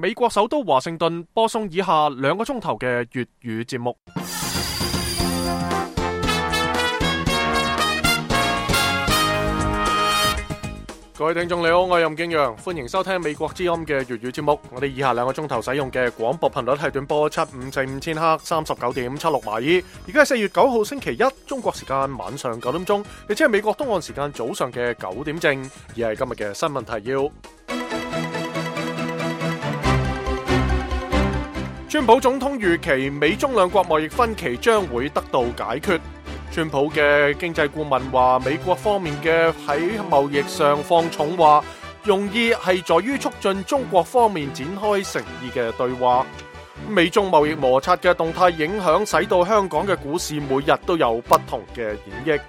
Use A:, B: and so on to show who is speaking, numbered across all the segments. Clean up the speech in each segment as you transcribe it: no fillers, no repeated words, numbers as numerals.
A: 美國首都華盛頓播送以下2個鐘頭嘅粵語節目。各位聽眾你好，我係任敬陽，歡迎收聽美國之音嘅粵語節目。我哋以下2個鐘頭使用嘅廣播頻率係短波7545000赫39.76馬爾。而家係4月9號星期一，中國時間晚上9點鐘，亦即係美國東岸時間早上嘅9點正。而係今日嘅新聞提要：川普總統預期美中兩國貿易分歧將會得到解決。川普嘅經濟顧問話，美國方面嘅喺貿易上放重話，用意係在於促進中國方面展開誠意嘅對話。美中貿易摩擦嘅動態影響，使到香港嘅股市每日都有不同嘅演繹。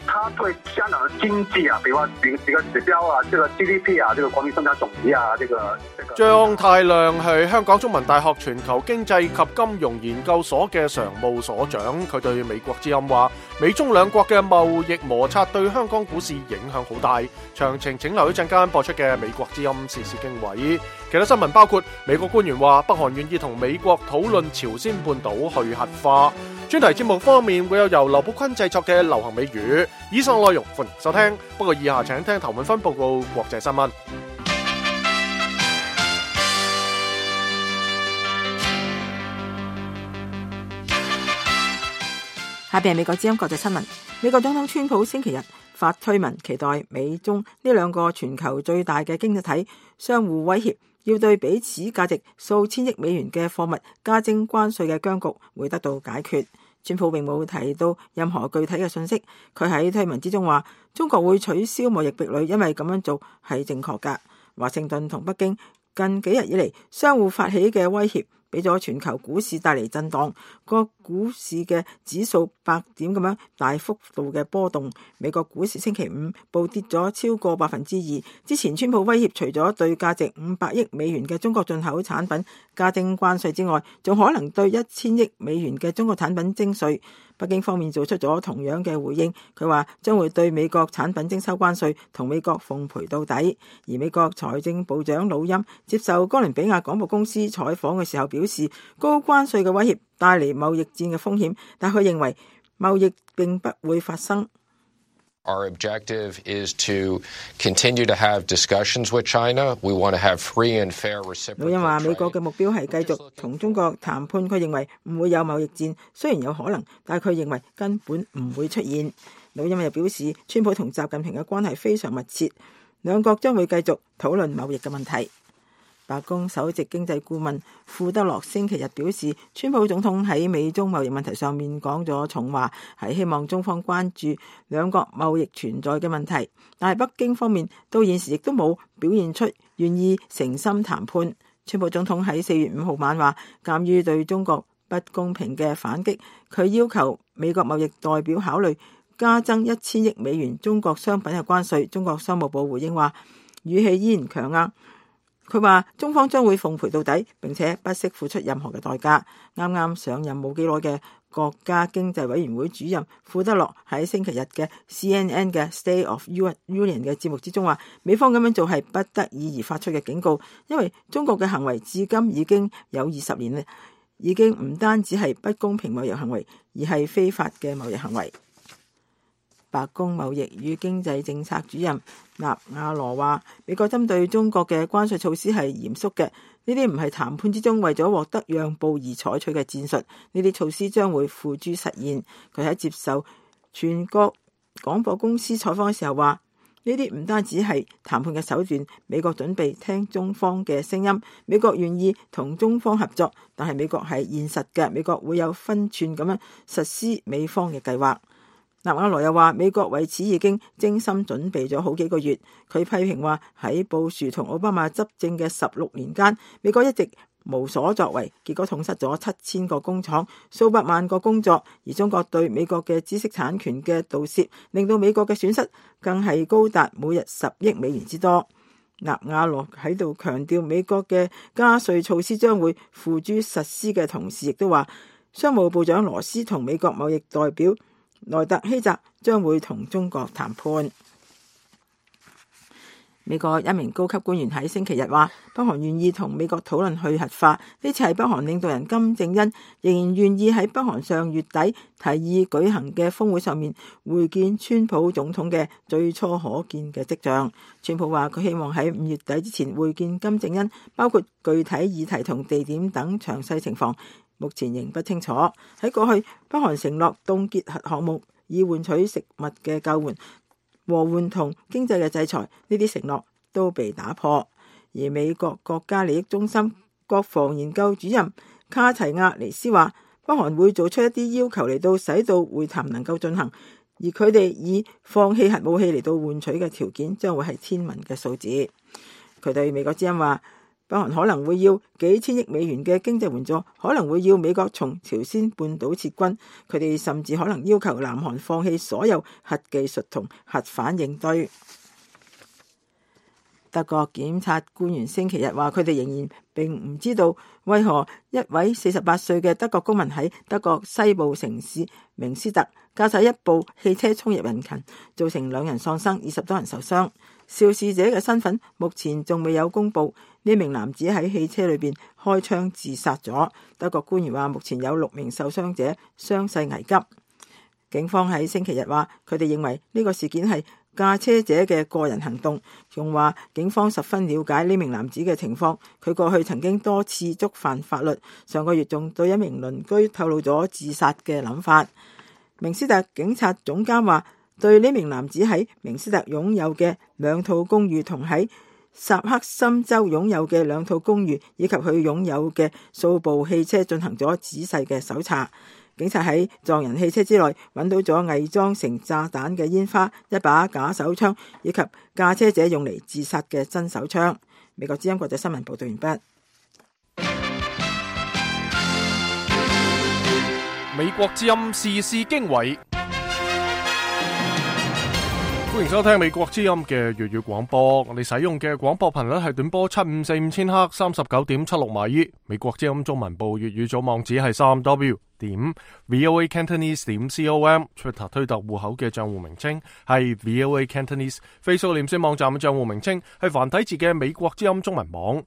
B: 它對香港的經濟啊，比如話幾個指標啊，這個 GDP 啊，這個國民生產總值啊，這個
A: 張太亮係香港中文大學全球經濟及金融研究所嘅常務所長，佢對美國之音話，美中兩國嘅貿易摩擦對香港股市影響好大。詳情請留一陣間播出嘅美國之音時事經緯。其他新聞包括美國官員話，北韓願意同美國討論朝鮮半島去核化。專題節目方面會有由劉寶坤製作嘅流行美語。以上內容歡迎收聽，不過以下請聽頭文分報告國際新聞。
C: 下邊係美國之音國際新聞。美國總統川普星期日發推文，期待美中呢2個全球最大嘅經濟體相互威脅，要對彼此價值數千億美元嘅貨物加徵關稅嘅僵局會得到解決。川普並冇提到任何具體嘅信息，佢喺推文之中話，中國會取消貿易壁壘，因為咁樣做係正確㗎。華盛頓同北京近幾日以嚟相互發起嘅威脅，俾咗全球股市帶嚟震盪，個股市嘅指數100點咁樣大幅度嘅波動。美國股市星期五暴跌咗超過2%。之前川普威脅除咗對價值500億美元嘅中國進口產品加徵關稅之外，仲可能對1000億美元嘅中國產品徵稅。北京方面做出咗同樣嘅回應，佢話將會對美國產品徵收關稅，同美國奉陪到底。而美國財政部長魯欽接受哥倫比亞廣播公司採訪嘅時候表示，高關稅嘅威脅帶嚟貿易戰嘅風險，但佢認為貿易並不會發生。
D: Our objective is to continue to have discussions with China. We want to have free and fair reciprocal trade. 魯欽話美國嘅目標係繼續同中國談判，佢認為唔會有貿易戰，雖然有可能，但係佢認為根本唔會出現。魯欽又表示，川普同習近平嘅關係非常密切，兩國將會繼續討論貿易嘅問題。白宮首席經濟顧問庫德洛星期日表示，川普總統喺美中貿易問題上面講咗重話，係希望中方關注兩國貿易存在嘅問題，但係北京方面到現時亦都冇表現出願意誠心談判。川普總統喺4月5號晚話，鑑於對中國不公平嘅反擊，佢要求美國貿易代表考慮加徵1000億美元中國商品嘅關稅。中國商務部回應話，語氣依然強硬。佢話中方將會奉陪到底，並且不惜付出任何嘅代價。啱啱上任冇幾耐嘅國家經濟委員會主任庫德洛喺星期日嘅 CNN 嘅 State of Union 嘅節目之中話，美方咁樣做係不得已而發出嘅警告，因為中國嘅行為至今已經有20年咧，已經唔單止係不公平貿易行為，而係非法嘅貿易行為。白宮貿易與經濟政策主任納瓦羅話，美國針對中國嘅關稅措施係嚴肅嘅，呢啲唔係談判之中為咗獲得讓步而採取嘅戰術，呢啲措施將會付諸實現。佢喺接受全國廣播公司採訪嘅時候話，呢啲唔單止係談判嘅手段，美國準備聽中方嘅聲音，美國願意同中方合作，但係美國係現實嘅，美國會有分寸咁樣實施美方嘅計劃。納瓦羅又話，美國為此已經精心準備咗好幾個月。佢批評話，喺布殊同奧巴馬執政嘅16年間，美國一直無所作為，結果痛失咗7000個工廠、數百萬個工作。而中國對美國嘅知識產權嘅盜竊，令到美國嘅損失更係高達每日10億美元之多。納瓦羅喺度強調，美國嘅加稅措施將會付諸實施嘅同時，亦都話商務部長羅斯同美國貿易代表萊特希澤將會同中國談判。
C: 美國一名高級官員喺星期日話，北韓願意同美國討論去核化。呢次係北韓領導人金正恩仍然願意喺北韓上月底提議舉行嘅峰會上面會見川普總統嘅最初可見嘅跡象。川普話佢希望喺5月底之前會見金正恩，包括具體議題同地點等詳細情況，目前仍不清楚。喺過去，北韓承諾凍結核項目以換取食物嘅救援、和緩同經濟嘅制裁，呢啲承諾都被打破。而美國國家利益中心國防研究主任卡齊亞尼斯話，北韓會做出一啲要求嚟到使到會談能夠進行，而佢哋以放棄核武器嚟到換取嘅條件將會係天文嘅數字。佢對美國之音話，北韓可能會要幾千億美元嘅經濟援助，可能會要美國從朝鮮半島撤軍，佢哋甚至可能要求南韓放棄所有核技術同核反應堆。德國檢察官員星期日話，佢哋仍然並唔知道為何一位48歲嘅德國公民喺德國西部城市明斯特駕駛一部汽車衝入人群，造成2人喪生，20多人受傷。肇事者嘅身份目前仲未有公布。呢名男子喺汽車裏邊開槍自殺咗。德國官員話，目前有6名受傷者，傷勢危急。警方喺星期日話，佢哋認為呢個事件係駕車者嘅個人行動，仲話警方十分了解呢名男子嘅情況，佢過去曾經多次觸犯法律，上個月仲對一名鄰居透露咗自殺嘅諗法。明斯特警察總監話，對呢名男子喺明斯特擁有嘅2套公寓同喺薩克森州擁有嘅2套公寓以及佢擁有嘅數部汽車進行咗仔細嘅搜查。警察喺撞人汽車之內揾到咗偽裝成炸彈嘅煙花、一把假手槍以及駕車者用嚟自殺嘅真手槍。美國之音國際新聞報道完畢。
A: 美國之音時事經緯，歡迎收聽美國之音嘅粵語廣播。我哋使用嘅廣播頻率係短波7545000赫39.76米。美國之音中文部粵語組網址係3w.voacantonese.com。Twitter 推特戶口嘅賬戶名稱係 VOA Cantonese。Facebook 臉書網站嘅賬戶名稱係繁體字嘅美國之音中文網。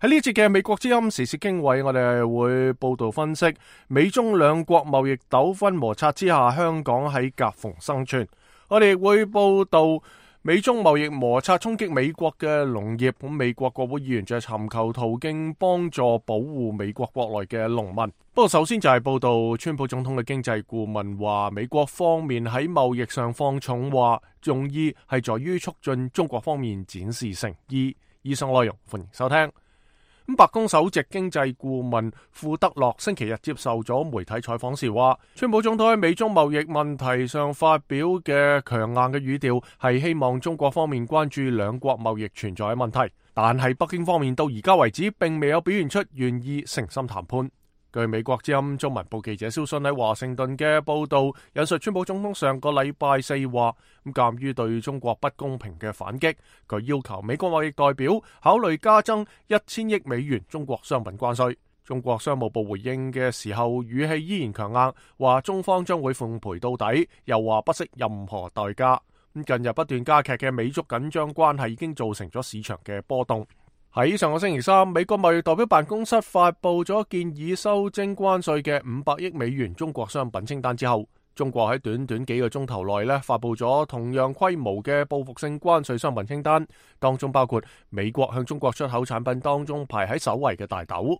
A: 喺呢節嘅美國之音時事經緯，我哋會報道分析美中兩國貿易糾紛摩擦之下，香港喺夾縫生存。我哋會報道美中貿易摩擦衝擊美國嘅農業，咁美國國會議員就尋求途徑幫助保護美國國內嘅農民。不過首先就係報道川普總統嘅經濟顧問話，美國方面喺貿易上放重話，用意係在於促進中國方面展示誠意。以上內容歡迎收聽。白宮首席經濟顧問庫德洛星期日接受咗媒體採訪時話，川普總統喺美中貿易問題上發表嘅強硬嘅語調係希望中國方面關注兩國貿易存在嘅問題，但係北京方面到而家為止並未有表現出願意誠心談判。據美國之音中文部記者蕭信喺華盛頓嘅報道引述川普總統上個禮拜4話，鑑於對中國不公平嘅反擊，佢要求美國貿易代表考慮加增1000億美元中國商品關稅。中國商務部回應嘅時候語氣依然強硬，話中方將會奉陪到底，又話不惜任何代價。近日不斷加劇嘅美中緊張關係已經造成咗市場嘅波動。喺上個星期三，美國貿易代表辦公室發佈咗建議修徵關稅嘅500億美元中國商品清單之後，中國喺短短幾個鐘頭內發佈咗同樣規模嘅報復性關稅商品清單，當中包括美國向中國出口產品當中排喺首位嘅大豆。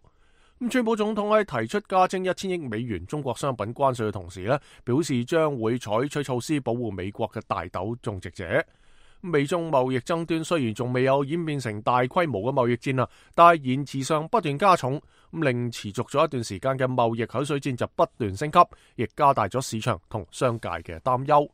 A: 川普總統喺提出加徵1000億美元中國商品關稅嘅同時表示將會採取措施保護美國嘅大豆種植者。美中貿易爭端雖然仲未有演變成大規模嘅貿易戰但係言辭上不斷加重，令持續咗一段時間嘅貿易口水戰就不斷升級，亦加大咗市場同商界嘅擔憂。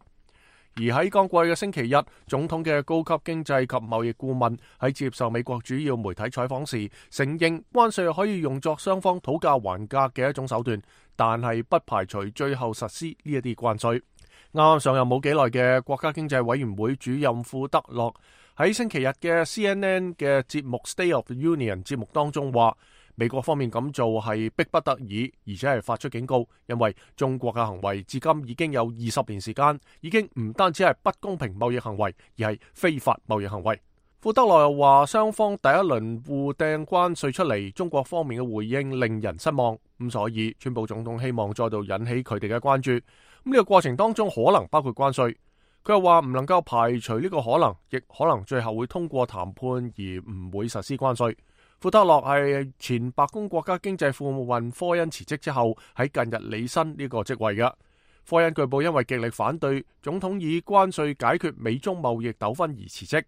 A: 而喺剛過去嘅星期日，總統嘅高級經濟及貿易顧問喺接受美國主要媒體採訪時，承認關稅可以用作雙方討價還價嘅一種手段，但係不排除最後實施呢一啲關稅。啱啱上任冇幾耐嘅國家經濟委員會主任庫德洛喺星期日嘅 CNN 嘅節目 State of the Union 節目當中話，美國方面咁做係迫不得已，而且係發出警告，因為中國嘅行為至今已經有20年時間，已經唔單止係不公平貿易行為，而係非法貿易行為。庫德洛又話，雙方第一輪互掟關稅出嚟，中國方面嘅回應令人失望，咁所以川普總統希望再度引起佢哋嘅關注。呢個過程當中可能包括關稅，佢又話唔能夠排除呢個可能，亦可能最後會通過談判而唔會實施關稅。庫德洛係前白宮國家經濟顧問科恩辭職之後喺近日履新呢個職位嘅。科恩據報因為極力反對總統以關稅解決美中貿易糾紛而辭職。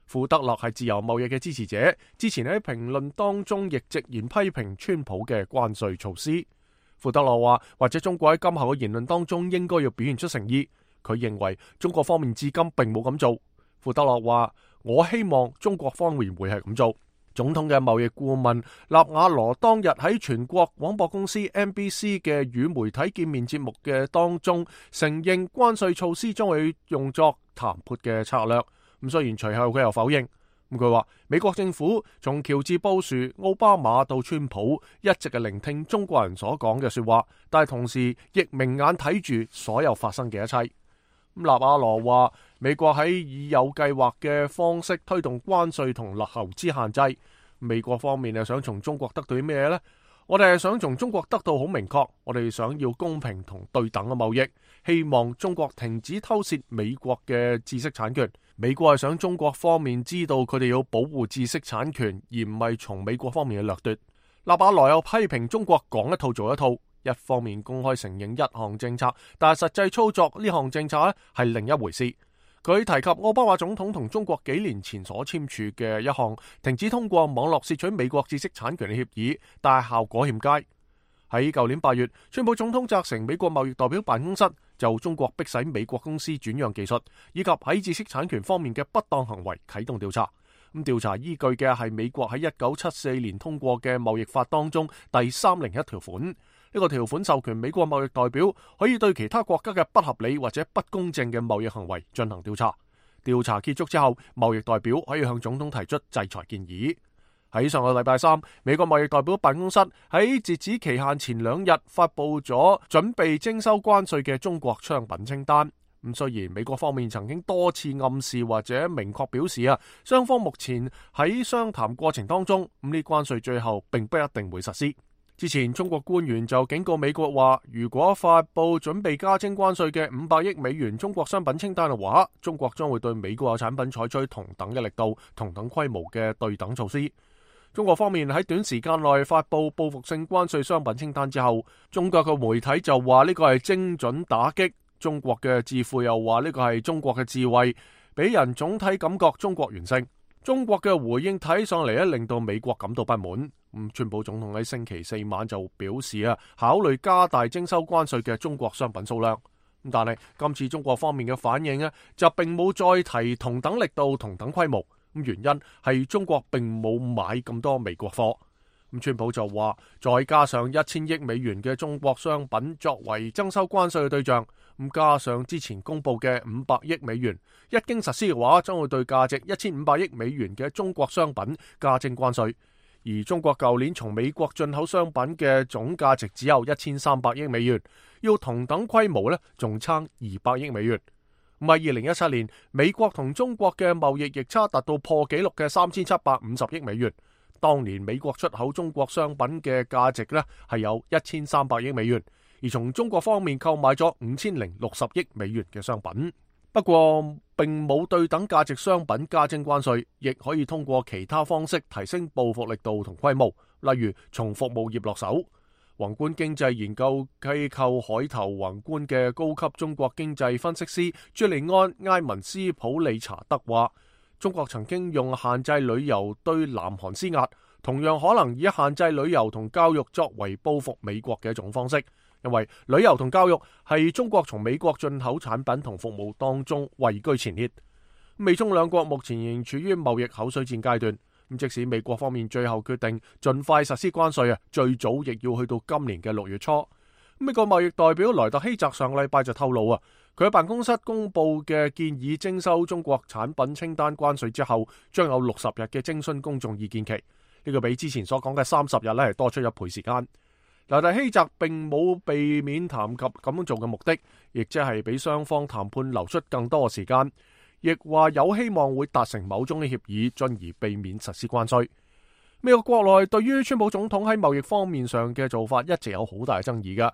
A: 庫德洛係自由貿易嘅支持者，之前喺評論當中亦直言批評川普嘅關稅措施。庫德洛話，或者中國喺今後嘅言論當中應該要表現出誠意。佢認為中國方面至今並冇咁做。庫德洛話，我希望中國方面會係咁做。總統嘅貿易顧問納瓦羅當日喺全國廣播公司 NBC 嘅與媒體見面節目嘅當中，承認關稅措施將會用作談判嘅策略。咁雖然隨後佢又否認。咁佢話美國政府從喬治布殊、奧巴馬到川普一直係聆聽中國人所講嘅說話，但係同時亦明眼睇住所有發生嘅一切。納瓦羅話美國喺已有計劃嘅方式推動關稅同投資限制。美國方面係想從中國得到啲咩呢？我哋係想從中國得到好明確，我哋想要公平同對等嘅貿易，希望中國停止偷竊美國嘅知識產權。美國係想中國方面知道佢哋要保護知識產權，而唔係從美國方面嘅掠奪。納瓦羅又批評中國講一套做一套，一方面公開承認一項政策，但係實際操作呢項政策係另一回事。佢提及奧巴馬總統同中國幾年前所簽署嘅一項停止通過網絡竊取美國知識產權嘅協議，但係效果欠佳。喺舊年8月，川普總統責成美國貿易代表辦公室就中國迫使美國公司轉讓技術，以及喺知識產權方面嘅不當行為啟動調查。咁調查依據嘅係美國喺1974年通過嘅貿易法當中第301條款。呢個條款授權美國貿易代表可以對其他國家嘅不合理或者不公正嘅貿易行為進行調查。調查結束之後，貿易代表可以向總統提出制裁建議。喺上個禮拜三，美國貿易代表辦公室喺截止期限前2日發佈咗準備徵收關稅嘅中國商品清單。咁雖然美國方面曾經多次暗示或者明確表示雙方目前喺商談過程當中，呢關稅最後並不一定會實施。之前中國官員就警告美國話，如果發佈準備加徵關稅嘅500億美元中國商品清單嘅話，中國將會對美國嘅產品採取同等嘅力度、同等規模嘅對等措施。中國方面喺短時間內發佈報復性關稅商品清單之後，中國嘅媒體就話呢個係精準打擊，中國嘅智庫又話呢個係中國嘅智慧，俾人總體感覺中國完勝。中國嘅回應睇上嚟令到美國感到不滿。川普總統喺星期4晚就表示考慮加大徵收關稅嘅中國商品數量。但係今次中國方面嘅反應就並冇再提同等力度、同等規模。原因係中國並冇買咁多美國貨。川普就話，再加上1000億美元嘅中國商品作為徵收關稅嘅對象，加上之前公布嘅500億美元，一經實施嘅話，將會對價值1500億美元嘅中國商品加徵關稅。而中國舊年從美國進口商品嘅總價值只有1300億美元，要同等規模仲差200億美元。喺2017年，美國同中國嘅貿易逆差達到破紀錄嘅3750億美元。當年美國出口中國商品嘅價值係有1300億美元，而從中國方面購買咗5060億美元嘅商品。不過並冇對等價值商品加徵關稅，亦可以通過其他方式提升報復力度同規模，例如從服務業落手。宏觀經濟研究機構海投宏觀嘅高級中國經濟分析師朱利安埃文斯普利查德話，中國曾經用限制旅遊對南韓施壓，同樣可能以限制旅遊同教育作為報復美國嘅一種方式，因為旅遊同教育係中國從美國進口產品同服務當中位居前列。美中兩國目前仍處於貿易口水戰階段。即使美國方面最後決定盡快實施關稅最早亦要去到今年嘅6月初。美國貿易代表萊特希澤上禮拜就透露佢喺辦公室公布嘅建議徵收中國產品清單關稅之後，將有60日嘅徵詢公眾意見期。呢個比之前所講嘅30日係多出1倍時間。萊特希澤並冇避免談及咁樣做嘅目的，亦即係俾雙方談判留出更多嘅時間。亦話有希望會達成某種嘅協議，進而避免實施關稅。美國國內對於川普總統喺貿易方面上嘅做法一直有好大爭議㗎。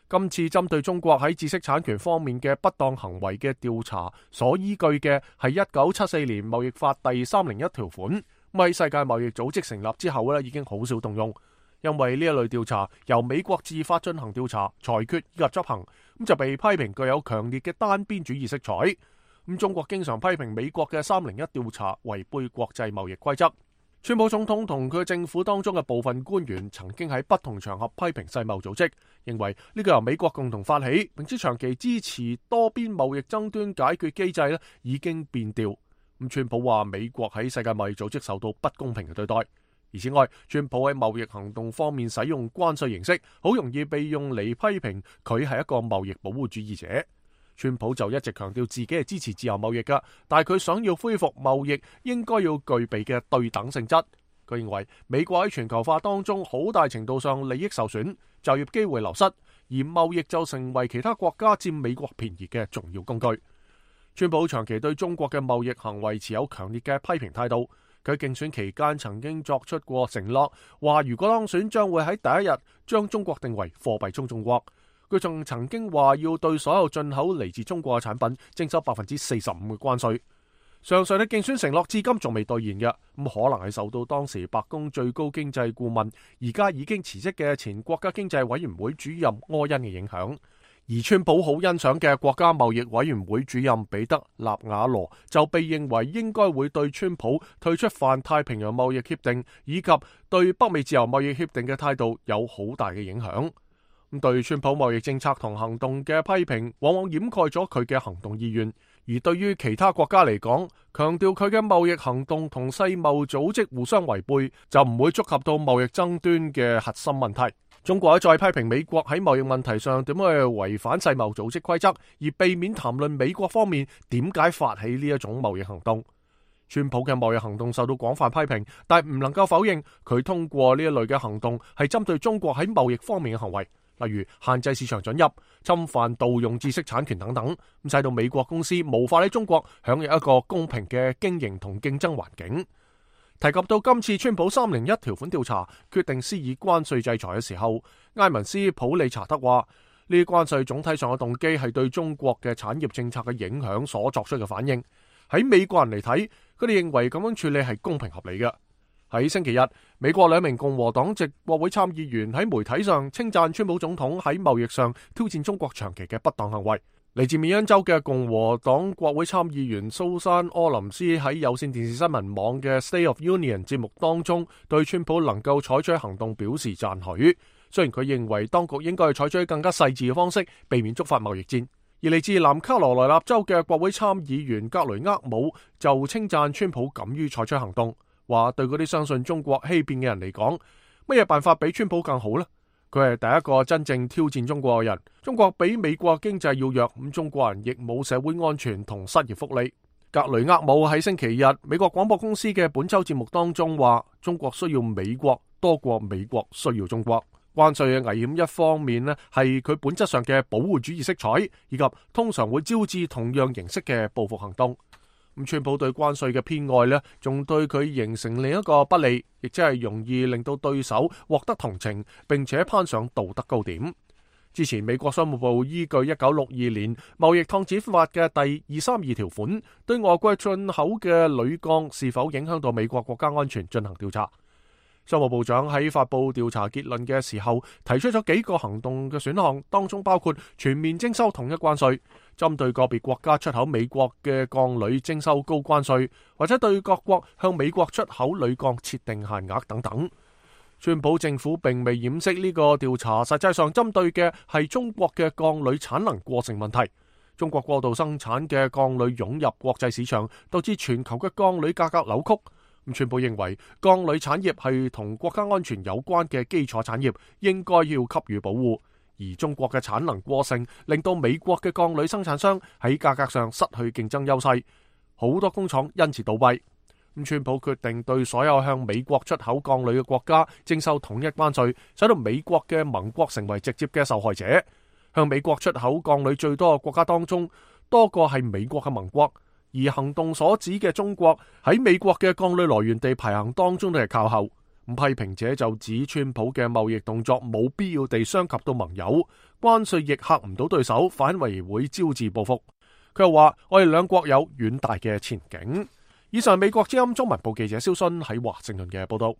A: 今次針對中國喺知識產權方面嘅不當行為嘅調查，所依據嘅係1974年貿易法第301條款。喺世界貿易組織成立之後已經好少動用，因為呢一類調查由美國自發進行調查、裁決以及執行，就被批評具有強烈嘅單邊主義色彩。中國經常批評美國嘅301調查違背國際貿易規則。川普總統同佢政府當中嘅部分官員曾經喺不同場合批評世貿組織，認為呢個由美國共同發起，並且長期支持多邊貿易爭端解決機制已經變調。川普話美國喺世界貿易組織受到不公平嘅對待，而此外，川普喺貿易行動方面使用關稅形式，好容易被用嚟批評佢係一個貿易保護主義者。川普就一直強調自己係支持自由貿易㗎，但係佢想要恢復貿易應該要具備嘅對等性質。佢認為美國喺全球化當中好大程度上利益受損，就業機會流失，而貿易就成為其他國家佔美國便宜嘅重要工具。川普長期對中國嘅貿易行為持有強烈嘅批評態度。佢競選期間曾經作出過承諾，話如果當選將會喺第一日將中國定為貨幣中眾國。佢仲曾經話要對所有進口嚟自中國嘅產品徵收45%嘅關稅。上述嘅競選承諾至今仲未兌現嘅，可能係受到當時白宮最高經濟顧問而家已經辭職嘅前國家經濟委員會主任柯恩嘅影響。而川普好欣賞嘅國家貿易委員會主任彼得納瓦羅就被認為應該會對川普退出泛太平洋貿易協定以及對北美自由貿易協定嘅態度有好大嘅影響。對川普貿易政策同行動嘅批評往往掩蓋咗佢嘅行動意願，而對於其他國家嚟講，強調佢嘅貿易行動同世貿組織互相違背，就唔會觸及到貿易爭端嘅核心問題。中國再批評美國喺貿易問題上點樣去違反世貿組織規則，而避免談論美國方面點解發起呢一種貿易行動。川普嘅貿易行動受到廣泛批評，但唔能夠否認佢通過呢一類嘅行動係針對中國喺貿易方面嘅行為。例如限制市場准入、侵犯盜用知識產權等等，使到美國公司無法喺中國享有一個公平嘅經營同競爭環境。提及到今次川普301條款調查決定施以關稅制裁嘅時候，埃文斯普利查德話：呢啲關稅總體上嘅動機係對中國嘅產業政策嘅影響所作出嘅反應。喺美國人嚟睇，佢哋認為咁樣處理係公平合理嘅。喺星期日，美國2名共和黨籍國會參議員喺媒體上稱讚川普總統喺貿易上挑戰中國長期嘅不當行為。嚟自緬因州嘅共和黨國會參議員蘇珊柯林斯喺有線電視新聞網嘅 State of Union 節目當中，對川普能夠採取行動表示讚許。雖然佢認為當局應該採取更加細緻嘅方式，避免觸發貿易戰。而嚟自南卡羅來納州嘅國會參議員格雷厄姆就稱讚川普敢於採取行動。話對嗰啲相信中國欺騙嘅人嚟講，乜嘢辦法比川普更好呢？佢係第一個真正挑戰中國嘅人。中國比美國經濟要弱，咁中國人亦冇社會安全同失業福利。格雷厄姆喺星期日美國廣播公司嘅本周節目當中話，中國需要美國多過美國需要中國。關稅嘅危險一方面呢，係佢本質上嘅保護主義色彩，以及通常會招致同樣形式嘅報復行動。川普對關稅嘅偏愛呢，仲對佢形成另一個不利，亦即係容易令到對手獲得同情，並且攀上道德高點。之前美國商務部依據1962年貿易擴展法嘅第232條款，對外國進口嘅鋁鋼是否影響到美國國家安全進行調查。商務部長喺發佈調查結論嘅時候，提出咗幾個行動嘅選項，當中包括全面徵收統一關稅，針對個別國家出口美國嘅鋼鋁徵收高關稅，或者對各國向美國出口鋁鋼設定限額等等。川普政府並未掩飾呢個調查，實際上針對嘅係中國嘅鋼鋁產能過剩問題。中國過度生產嘅鋼鋁湧入國際市場，導致全球嘅鋼鋁價格扭曲。川普認為鋼鋁產業係同國家安全有關嘅基礎產業，應該要給予保護。而中國嘅產能過剩，令到美國嘅鋼鋁生產商喺價格上失去競爭優勢，好多工廠因此倒閉。川普決定對所有向美國出口鋼鋁嘅國家徵收統一關稅，使到美國嘅盟國成為直接嘅受害者。向美國出口鋼鋁最多嘅國家當中，多個係美國嘅盟國。而行動所指嘅中國喺美國嘅鋼鋁來源地排行當中都係靠後。批評者就指川普嘅貿易動作冇必要地傷及到盟友，關稅亦嚇唔到對手，反為會招致報復。佢又話：我哋兩國有遠大嘅前景。以上美國之音中文部記者蕭勳喺華盛頓嘅報道。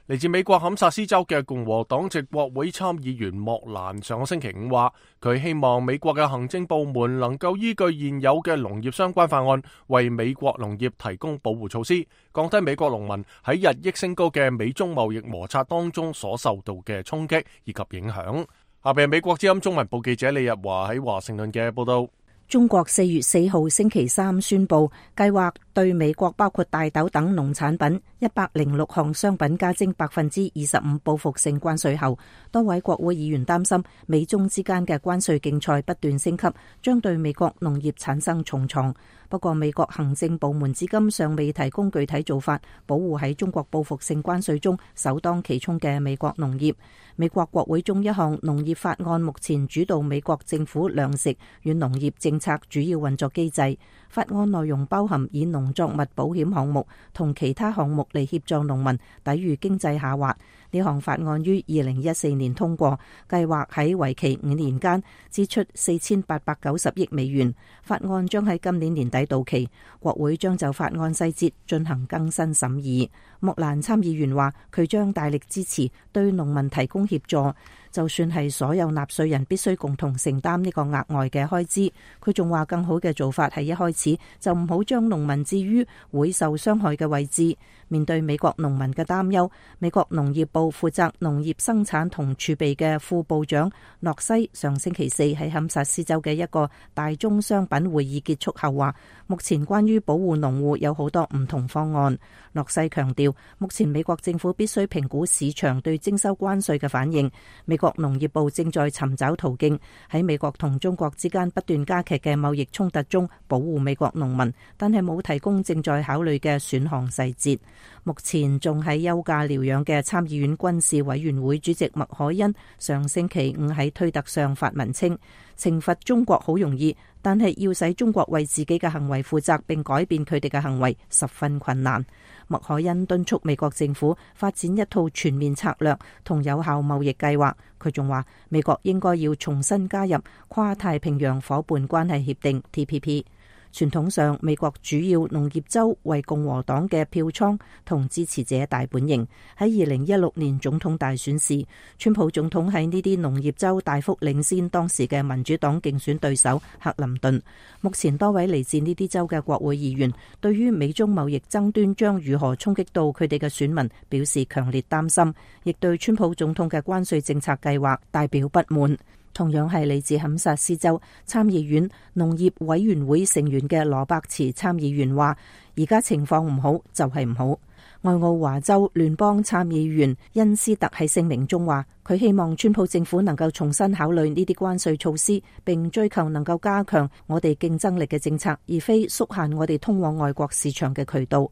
A: 嚟自美國堪薩斯州嘅共和黨籍國會參議員莫蘭上個星期五話，佢希望美國嘅行政部門能夠依據現有嘅農業相關法案，為美國農業提供保護措施，降低美國農民喺日益升高嘅美中貿易摩擦當中所受到嘅衝擊以及影響。下邊係美國之音中文部記者李日華喺華盛頓嘅報道。
E: 中國4月4號星期三宣布，計劃對美國包括大豆等農產品106項商品加徵25%報復性關稅後，多位國會議員擔心美中之間嘅關稅競賽不斷升級，將對美國農業產生重創。不過，美國行政部門至今尚未提供具體做法，保護喺中國報復性關稅中首當其衝嘅美國農業。美國國會中一項農業法案目前主導美國政府糧食與農業政策主要運作機制。法案內容包含以農作物保險項目同其他項目嚟協助農民抵禦經濟下滑。呢項法案於2014年通過，計劃喺為期5年間支出4890億美元。法案將喺今年年底到期，國會將就法案細節進行更新審議。莫蘭參議員話，佢將大力支持對農民提供協助，就算係所有納稅人必須共同承擔呢個額外嘅開支。佢仲話，更好嘅做法係一開始就唔好將農民置於會受傷害嘅位置。面對美國農民嘅擔憂，美國農業部負責農業生產同儲備嘅副部長諾西上星期四喺堪薩斯州嘅一個大宗商品會議結束後話，目前關於保護農戶有好多唔同方案。諾西強調，目前美國政府必須評估市場對徵收關稅嘅反應。美國農業部正在尋找途徑，喺美國同中國之間不斷加劇嘅貿易衝突中保護美國農民，但係冇提供正在考慮嘅選項細節。目前仲喺休假療養嘅參議院軍事委員會主席麥凱恩上星期五喺推特上發文稱，懲罰中國好容易，但係要使中國為自己嘅行為負責並改變佢哋嘅行為十分困難。麥凱恩敦促美國政府發展一套全面策略同有效貿易計劃。佢仲話，美國應該要重新加入跨太平洋夥伴關係協定 TPP。傳統上，美國主要農業州為共和黨嘅票倉同支持者大本營。喺2016年總統大選時，川普總統喺呢啲農業州大幅領先當時嘅民主黨競選對手克林頓。目前多位嚟自呢啲州嘅國會議員對於美中貿易爭端將如何衝擊到佢哋嘅選民表示強烈擔心，亦對川普總統嘅關稅政策計劃大表不滿。同樣係嚟自堪薩斯州參議院農業委員會成員嘅羅伯茨參議員話，而家情況唔好就係唔好。愛奧華州聯邦參議員恩斯特喺聲明中話，佢希望川普政府能夠重新考慮呢啲關稅措施，並追求能夠加強我哋競爭力嘅政策，而非縮限我哋通往外國市場嘅渠道。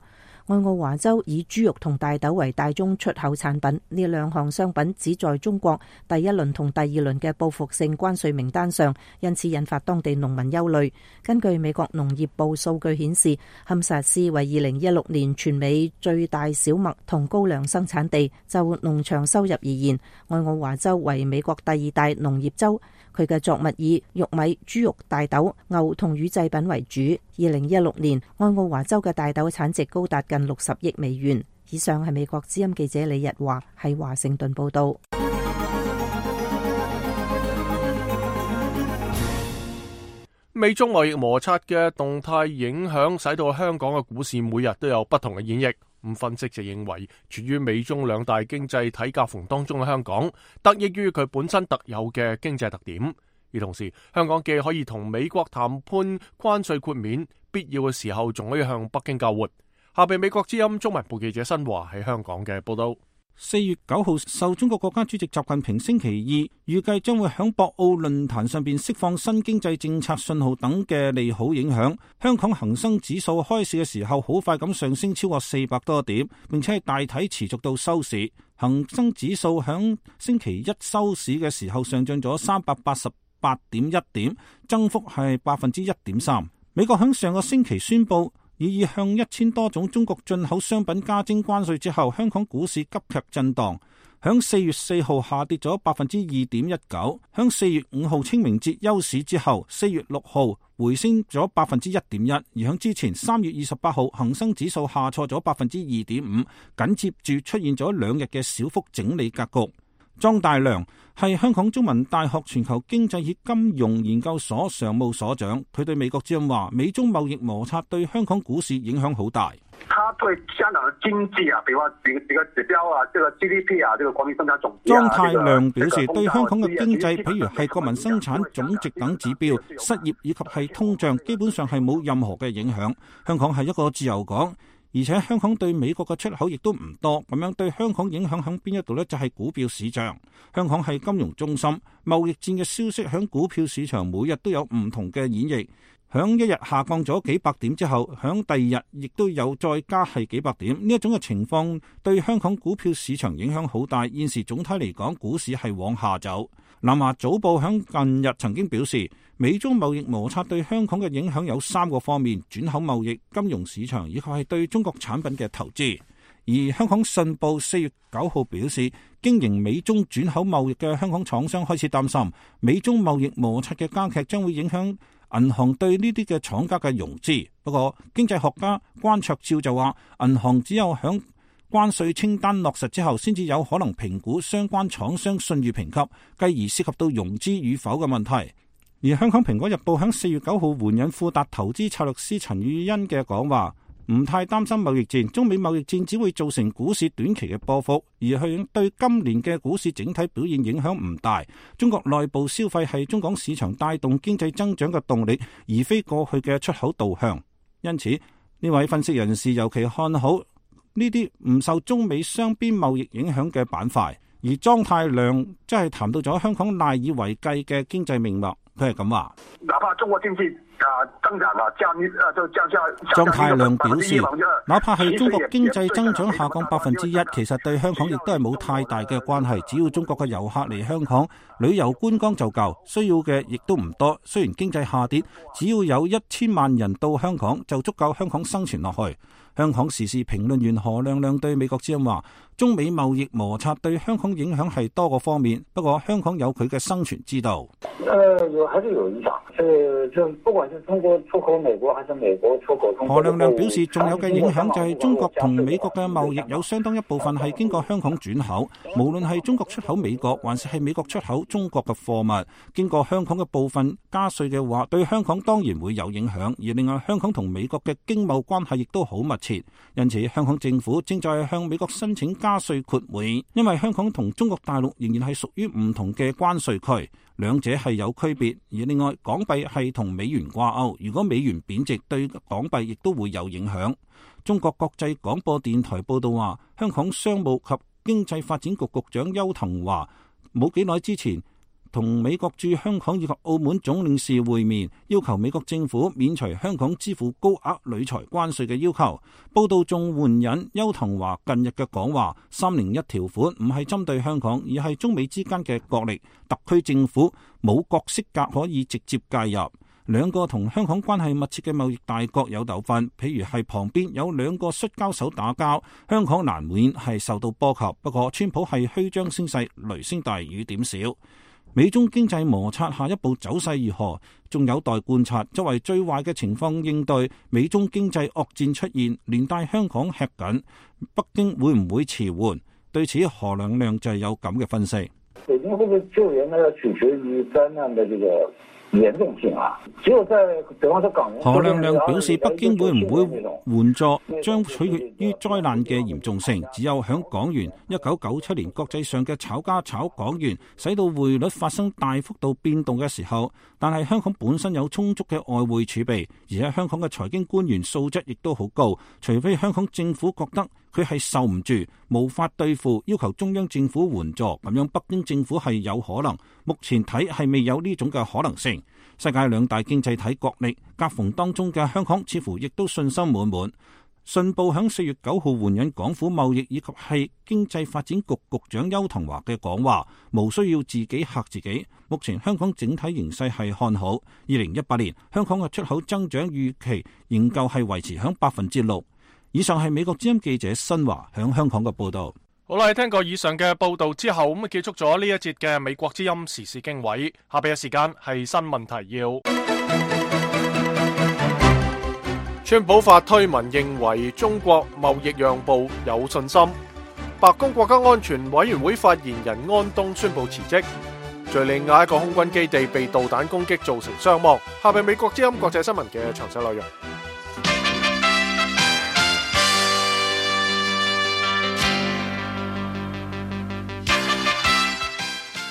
E: 愛奧華州以豬肉同大豆為大宗出口產品，呢兩項商品只在中國第一輪同第二輪嘅報復性關稅名單上，因此引發當地農民憂慮。根據美國農業部數據顯示，堪薩斯為2016年全美最大小麥同高粱生產地。就農場收入而言，愛奧華州為美國第二大農業州。佢嘅作物以玉米、豬肉、大豆、牛同乳製品為主。2016年，愛奧華州嘅大豆產值高達近60億美元。以上係美國之音記者李日華喺華盛頓報道。
A: 美中貿易摩擦嘅動態影響，使到香港嘅股市每日都有不同嘅演繹。分析就認為，處於美中兩大經濟體夾縫當中嘅香港，得益於佢本身特有嘅經濟特點。而同時，香港既可以同美國談判關稅豁免，必要嘅時候仲可以向北京交換。下邊美國之音中文部記者新華喺香港嘅報道。
F: 4月9號，受中國國家主席習近平星期二預計將會響博鰲論壇上邊釋放新經濟政策信號等嘅利好影響，香港恒生指數開市嘅時候好快咁上升超過400多點，並且係大體持續到收市。恒生指數響星期一收市嘅時候上漲咗388 8.1點，增幅係 1.3%。美國喺上個星期宣布已向1000多種中國進口商品加徵關稅之後，香港股市急劇震盪，響4月4號下跌咗 2.19%，響4月5號清明節休市之後，4月6號回升咗 1.1%，而響之前3月28號恒生指數下挫咗 2.5%，緊接住出現咗2日嘅小幅整理格局。莊大良係香港中文大學全球經濟與金融研究所常務所長，佢對美國之音話：美中貿易摩擦對香港股市影響好大。
B: 他對香港的經濟啊，比如話幾個指標啊，這個 GDP 啊，這個國民生產總值啊，
F: 莊太量表示，對香港嘅經濟，譬如係國民生產總值等指標、失業以及係通脹，基本上係冇任何嘅影響。香港係一個自由港。而且香港對美國嘅出口亦都唔多，咁樣對香港影響喺邊一度呢？就係股票市場。香港係金融中心，貿易戰嘅消息喺股票市場每日都有唔同嘅演繹。響一日下降咗幾百點之後，響第二日亦都有再加係幾百點。呢一種嘅情況對香港股票市場影響好大。現時總體嚟講，股市係往下走。南華早報響近日曾經表示，美中貿易摩擦對香港嘅影響有3個方面：轉口貿易、金融市場以及係對中國產品嘅投資。而香港信報4月9號表示，經營美中轉口貿易嘅香港廠商開始擔心，美中貿易摩擦嘅加劇將會影響銀行對呢啲嘅廠家嘅融資。不過經濟學家關焯照就話，銀行只有響關稅清單落實之後，先至有可能評估相關廠商信譽評級，繼而涉及到融資與否嘅問題。而香港蘋果日報喺4月9號援引富達投資策略師陳宇欣嘅講話，唔太擔心貿易戰，中美貿易戰只會造成股市短期嘅波幅，而係對今年嘅股市整體表現影響唔大。中國內部消費係中港市場帶動經濟增長嘅動力，而非過去嘅出口導向。因此，呢位分析人士尤其看好呢啲唔受中美雙邊貿易影響嘅板塊。而莊太量即係談到咗香港賴以為繼嘅經濟命脈，佢係咁話：
B: 哪怕中國經濟增長啦，
F: 莊太量表示，哪怕係中國經濟增長下降1%，其實對香港亦都係冇太大嘅關係。只要中國嘅遊客嚟香港旅遊觀光就夠，需要嘅亦都唔多。雖然經濟下跌，只要有1000萬人到香港就足夠香港生存落去。香港時事評論員何亮亮對美國之音話：中美貿易摩擦對香港影響係多個方面，不過香港有佢嘅生存之道。
G: 還是有影響。就不管是中國出口美國，還是美國出口中國。
F: 何亮亮表示，仲有嘅影響就係中國同美國嘅貿易有相當一部分係經過香港轉口，無論係中國出口美國，還是係美國出口中國嘅貨物，經過香港嘅部分加稅嘅話，對香港當然會有影響。而另外，香港同美國嘅經貿關係亦都好密切，因此香港政府正在向美國申請加稅豁免，因為香港同中國大陸仍然係屬於唔同嘅關稅區。兩者係有區別，而另外港幣係同美元掛鈎，如果美元貶值，對港幣亦都會有影響。中國國際廣播電台報道話，香港商務及經濟發展局局長邱騰華冇幾耐之前同美國駐香港以及澳門總領事會面，要求美國政府免除香港支付高額旅財關稅嘅要求。報道仲援引邱騰華近日嘅講話，301條款唔係針對香港，而係中美之間嘅角力，特區政府冇角色格可以直接介入。兩個同香港關係密切嘅貿易大國有糾紛，譬如係旁邊有2個摔跤手打交，香港難免係受到波及。不過川普係虛張聲勢，雷聲大雨點小。美中經濟摩擦下一步走勢如何，仲有待觀察。作為最壞嘅情況應對，美中經濟惡戰出現，連帶香港吃緊，北京會唔會遲緩？對此，何亮亮就係有咁嘅分析。
G: 北京會唔會救援呢？要取決於災難的這個嚴重性啊！只有在比方說港人，
F: 何亮亮表示，北京會唔會援助將取決於災難嘅嚴重性。只有響港元1997年國際上嘅炒家炒港元，使到匯率發生大幅度變動嘅時候，但係香港本身有充足嘅外匯儲備，而且香港嘅財經官員素質亦都好高。除非香港政府覺得佢係受唔住，無法對付，要求中央政府援助，咁樣北京政府係有可能。目前睇係未有呢種嘅可能性。世界2大經濟體角力夾縫當中嘅香港似乎亦都信心滿滿。信報響4月9號援引港府貿易以及係經濟發展局局長邱騰華嘅講話，無需要自己嚇自己。目前香港整體形勢係看好，2018年香港嘅出口增長預期仍舊係維持響6%。以上係美國之音記者新華響香港嘅報道。
A: 好啦，聽過以上嘅報道之後，咁結束咗呢一節嘅美國之音時事經緯。下邊嘅時間係新聞提要。川普發推文認為中國貿易讓步有信心。白宮國家安全委員會發言人安東宣布辭職。敘利亞一個空軍基地被導彈攻擊造成傷亡。下邊美國之音國際新聞嘅詳細內容。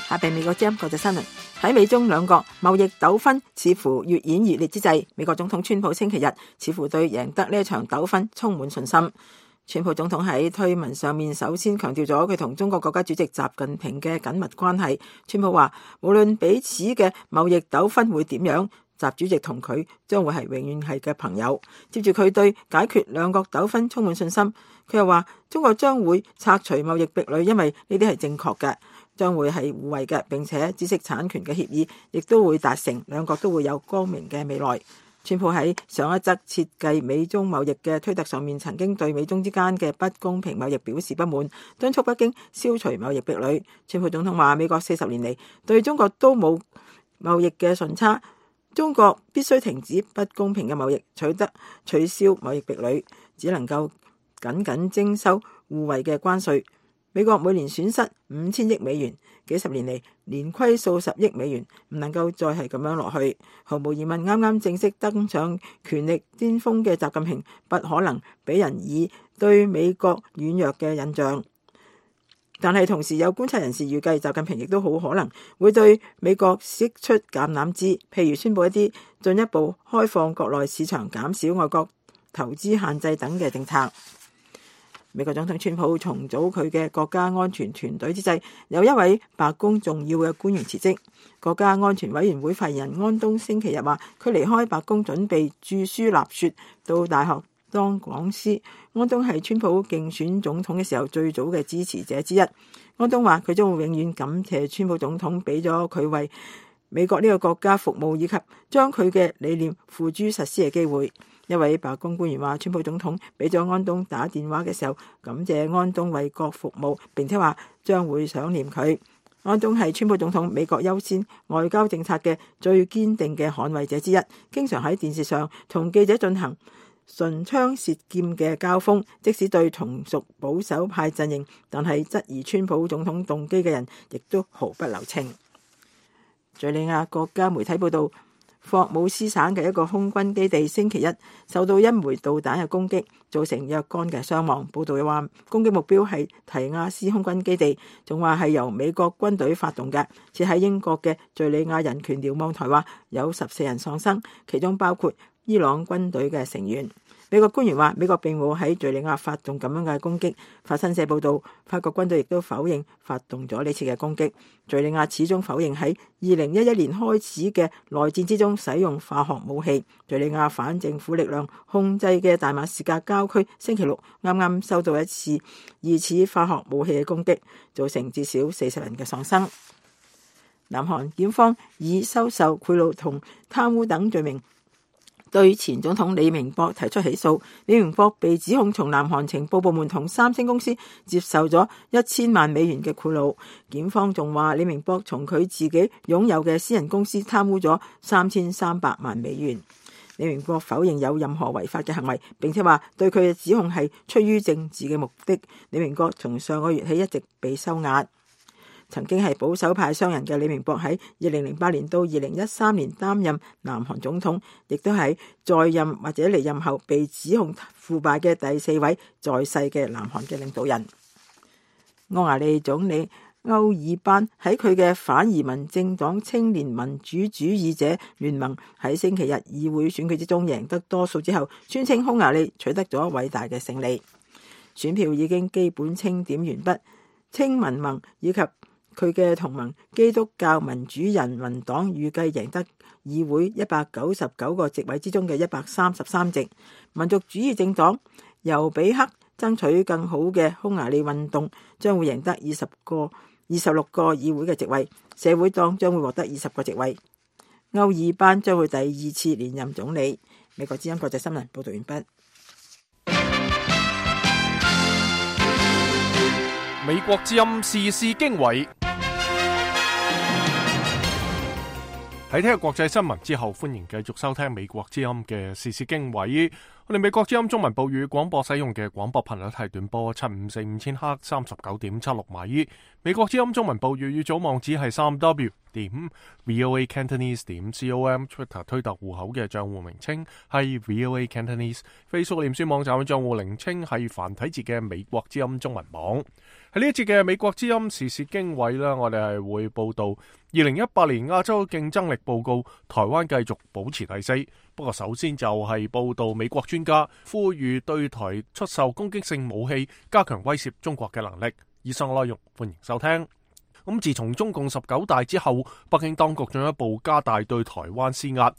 C: 下邊美國之音國際新聞。喺美中兩國貿易糾紛似乎越演越烈之際，美國總統川普星期日似乎對贏得呢一場糾紛充滿信心。川普總統喺推文上面首先強調咗佢同中國國家主席習近平嘅緊密關係。川普話，無論彼此嘅貿易糾紛會點樣，習主席同佢將會係永遠係嘅朋友。接住佢對解決兩國糾紛充滿信心。佢又話，中國將會拆除貿易壁壘，因為呢啲係正確嘅。將會係互惠嘅，並且知識產權嘅協議亦都會達成，兩國都會有光明嘅未來。川普喺上一則設計美中貿易嘅推特上面，曾經對美中之間嘅不公平貿易表示不滿，敦促北京消除貿易壁壘。川普總統話，美國40年嚟對中國都冇貿易嘅順差，中國必須停止不公平嘅貿易，取消貿易壁壘，只能夠僅徵收互惠嘅關稅。美國每年損失5000億美元，幾十年嚟連虧數十億美元，唔能夠再係咁樣落去。毫無疑問，啱啱正式登上權力巔峰嘅習近平，不可能俾人以對美國軟弱嘅印象。但係同時有觀察人士預計，習近平亦都好可能會對美國釋出橄欖枝，譬如宣布一啲進一步開放國內市場、減少外國投資限制等嘅政策。美國總統川普重組佢嘅國家安全團隊之際，有一位白宮重要嘅官員辭職。國家安全委員會發言人安東星期日話，佢離開白宮準備著書立說，到大學當講師。安東係川普競選總統嘅時候最早嘅支持者之一。安東話，佢將會永遠感謝川普總統俾咗佢為美國呢個國家服務，以及將佢嘅理念付諸實施嘅機會。一位白宮官員話，川普總統俾咗安東打電話嘅時候，感謝安東為國服務，並且話將會想念佢。安東係川普總統美國優先外交政策嘅最堅定嘅捍衛者之一，經常喺電視上同記者進行唇槍舌劍嘅交鋒，即使對同屬保守派陣營，但係質疑川普總統動機嘅人，亦都毫不留情。敘利亞國家媒體報道，霍姆斯省嘅一個空軍基地星期一受到一枚導彈嘅攻擊，造成若干嘅傷亡。報道又話，攻擊目標係提亞斯空軍基地，仲話係由美國軍隊發動嘅。設喺英國嘅敘利亞人權瞭望台話，有14人喪生，其中包括伊朗軍隊嘅成員。美國官員話，美國並冇喺敘利亞發動咁樣嘅攻擊。法新社報道，法國軍隊亦都否認發動咗呢次嘅攻擊。敘利亞始終否認喺2011年開始嘅內戰之中使用化學武器。敘利亞反政府力量控制嘅大馬士革郊區星期六啱啱收到一次疑似化學武器嘅攻擊，造成至少40人嘅喪生。南韓檢方以收受賄賂同貪污等罪名對前總統李明博提出起訴。李明博被指控從南韓情報部門同三星公司接受咗1000萬美元嘅賄賂。檢方仲話，李明博從佢自己擁有嘅私人公司貪污咗3300萬美元。李明博否認有任何違法嘅行為，並且話對佢嘅指控係出於政治嘅目的。李明博從上個月起一直被收押。曾經係保守派商人嘅李明博喺2008年到2013年擔任南韓總統，亦都係在任或者離任後被指控腐敗嘅第4位在世嘅南韓嘅領導人。匈牙利總理歐爾班喺佢嘅反移民政黨青年民主主義者聯盟喺星期日議會選舉之中贏得多數之後，宣稱匈牙利取得咗偉大嘅勝利。選票已經基本清點完畢，青民盟以及佢嘅同盟基督教民主人民黨預計贏得議會199個席位之中嘅133席。民族主義政黨由比克爭取更好嘅匈牙利運動將會贏得26個議會嘅席位，社會黨將會獲得20個席位。歐爾班將會第2次連任總理。美國之音國際新聞報道完畢。
A: 美國之音時事經緯。喺聽日國際新聞之後，歡迎繼續收聽美國之音嘅時事經緯。我哋美國之音中文部語廣播使用嘅廣播頻率係短波7545赫39.76米。美國之音中文部語語組網址係3w.voacantonese.com。Twitter 推特戶口嘅賬戶名稱係 VOA Cantonese。Facebook 臉書網站嘅賬戶名稱係繁體字嘅美國之音中文網。喺呢一節嘅美國之音時事經緯啦，我哋係會報道2018年亞洲競爭力報告，台灣繼續保持第4。不過首先就係報道美國專家呼籲對台出售攻擊性武器，加強威懾中國嘅能力。以上內容歡迎收聽。咁自從中共19大之後，北京當局進一步加大對台灣施壓，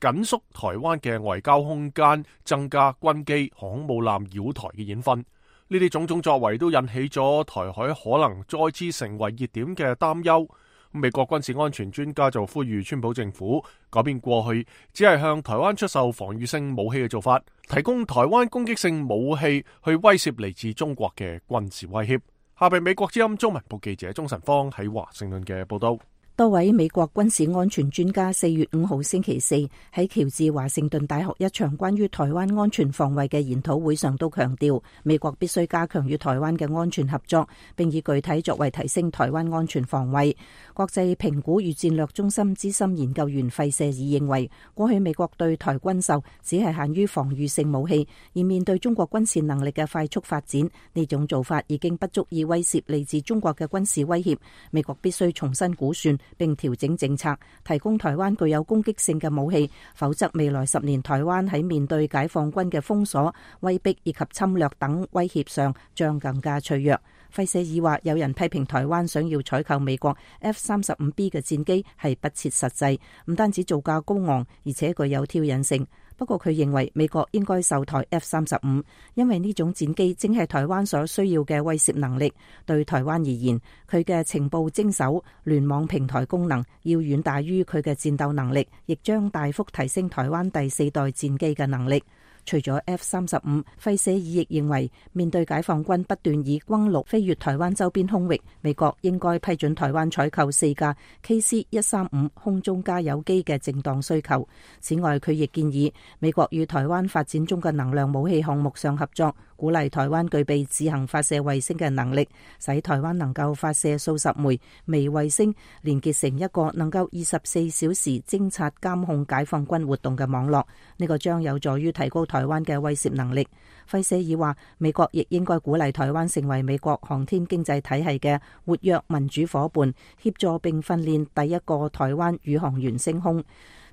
A: 緊縮台灣嘅外交空間，增加軍機、航空母艦擾台嘅演訓。呢啲種種作為都引起咗台海可能再次成為熱點嘅擔憂。美國軍事安全專家就呼籲川普政府改變過去只係向台灣出售防禦性武器嘅做法，提供台灣攻擊性武器去威懾嚟自中國嘅軍事威脅。下邊美國之音中文部記者鍾晨芳喺華盛頓嘅報道。
E: 多位美國軍事安全專家4月5號星期四喺喬治華盛頓大學一場關於台灣安全防衛嘅研討會上都強調，美國必須加強與台灣嘅安全合作，並以具體作為提升台灣安全防衛。國際評估與戰略中心資深研究員費舍爾認為，過去美國對台軍售只係限於防禦性武器，而面對中國軍事能力嘅快速發展，呢種做法已經不足以威懾嚟自中國嘅軍事威脅。美國必須重新估算並調整政策，提供台灣具有攻擊性嘅武器，否則未來10年台灣喺面對解放軍嘅封鎖、威逼以及侵略等威脅上將更加脆弱。費舍爾話，有人批評台灣想要採購美國 F-35B 嘅戰機係不切實際，唔單止造價高昂，而且具有挑釁性。不過佢認為美國應該售台 F-35，因為呢種戰機正係台灣所需要嘅威懾能力。對台灣而言，佢嘅情報偵搜、聯網平台功能要遠大於佢嘅戰鬥能力，亦將大幅提升台灣第4代戰機嘅能力。除咗 F-35，費舍爾亦認為，面對解放軍不斷以轟六飛越台灣周邊空域，美國應該批准台灣採購4架 KC-135空中加油機嘅正當需求。此外，佢亦建議美國與台灣發展中嘅能量武器項目上合作，鼓勵台灣具備自行發射衛星嘅能力，使台灣能夠發射數十枚微衛星，連結成一個能夠24小時偵察監控解放軍活動嘅網絡。呢個將有助於提高台灣嘅威懾能力。費舍爾話，美國亦應該鼓勵台灣成為美國航天經濟體系嘅活躍民主夥伴，協助並訓練第一個台灣宇航員升空。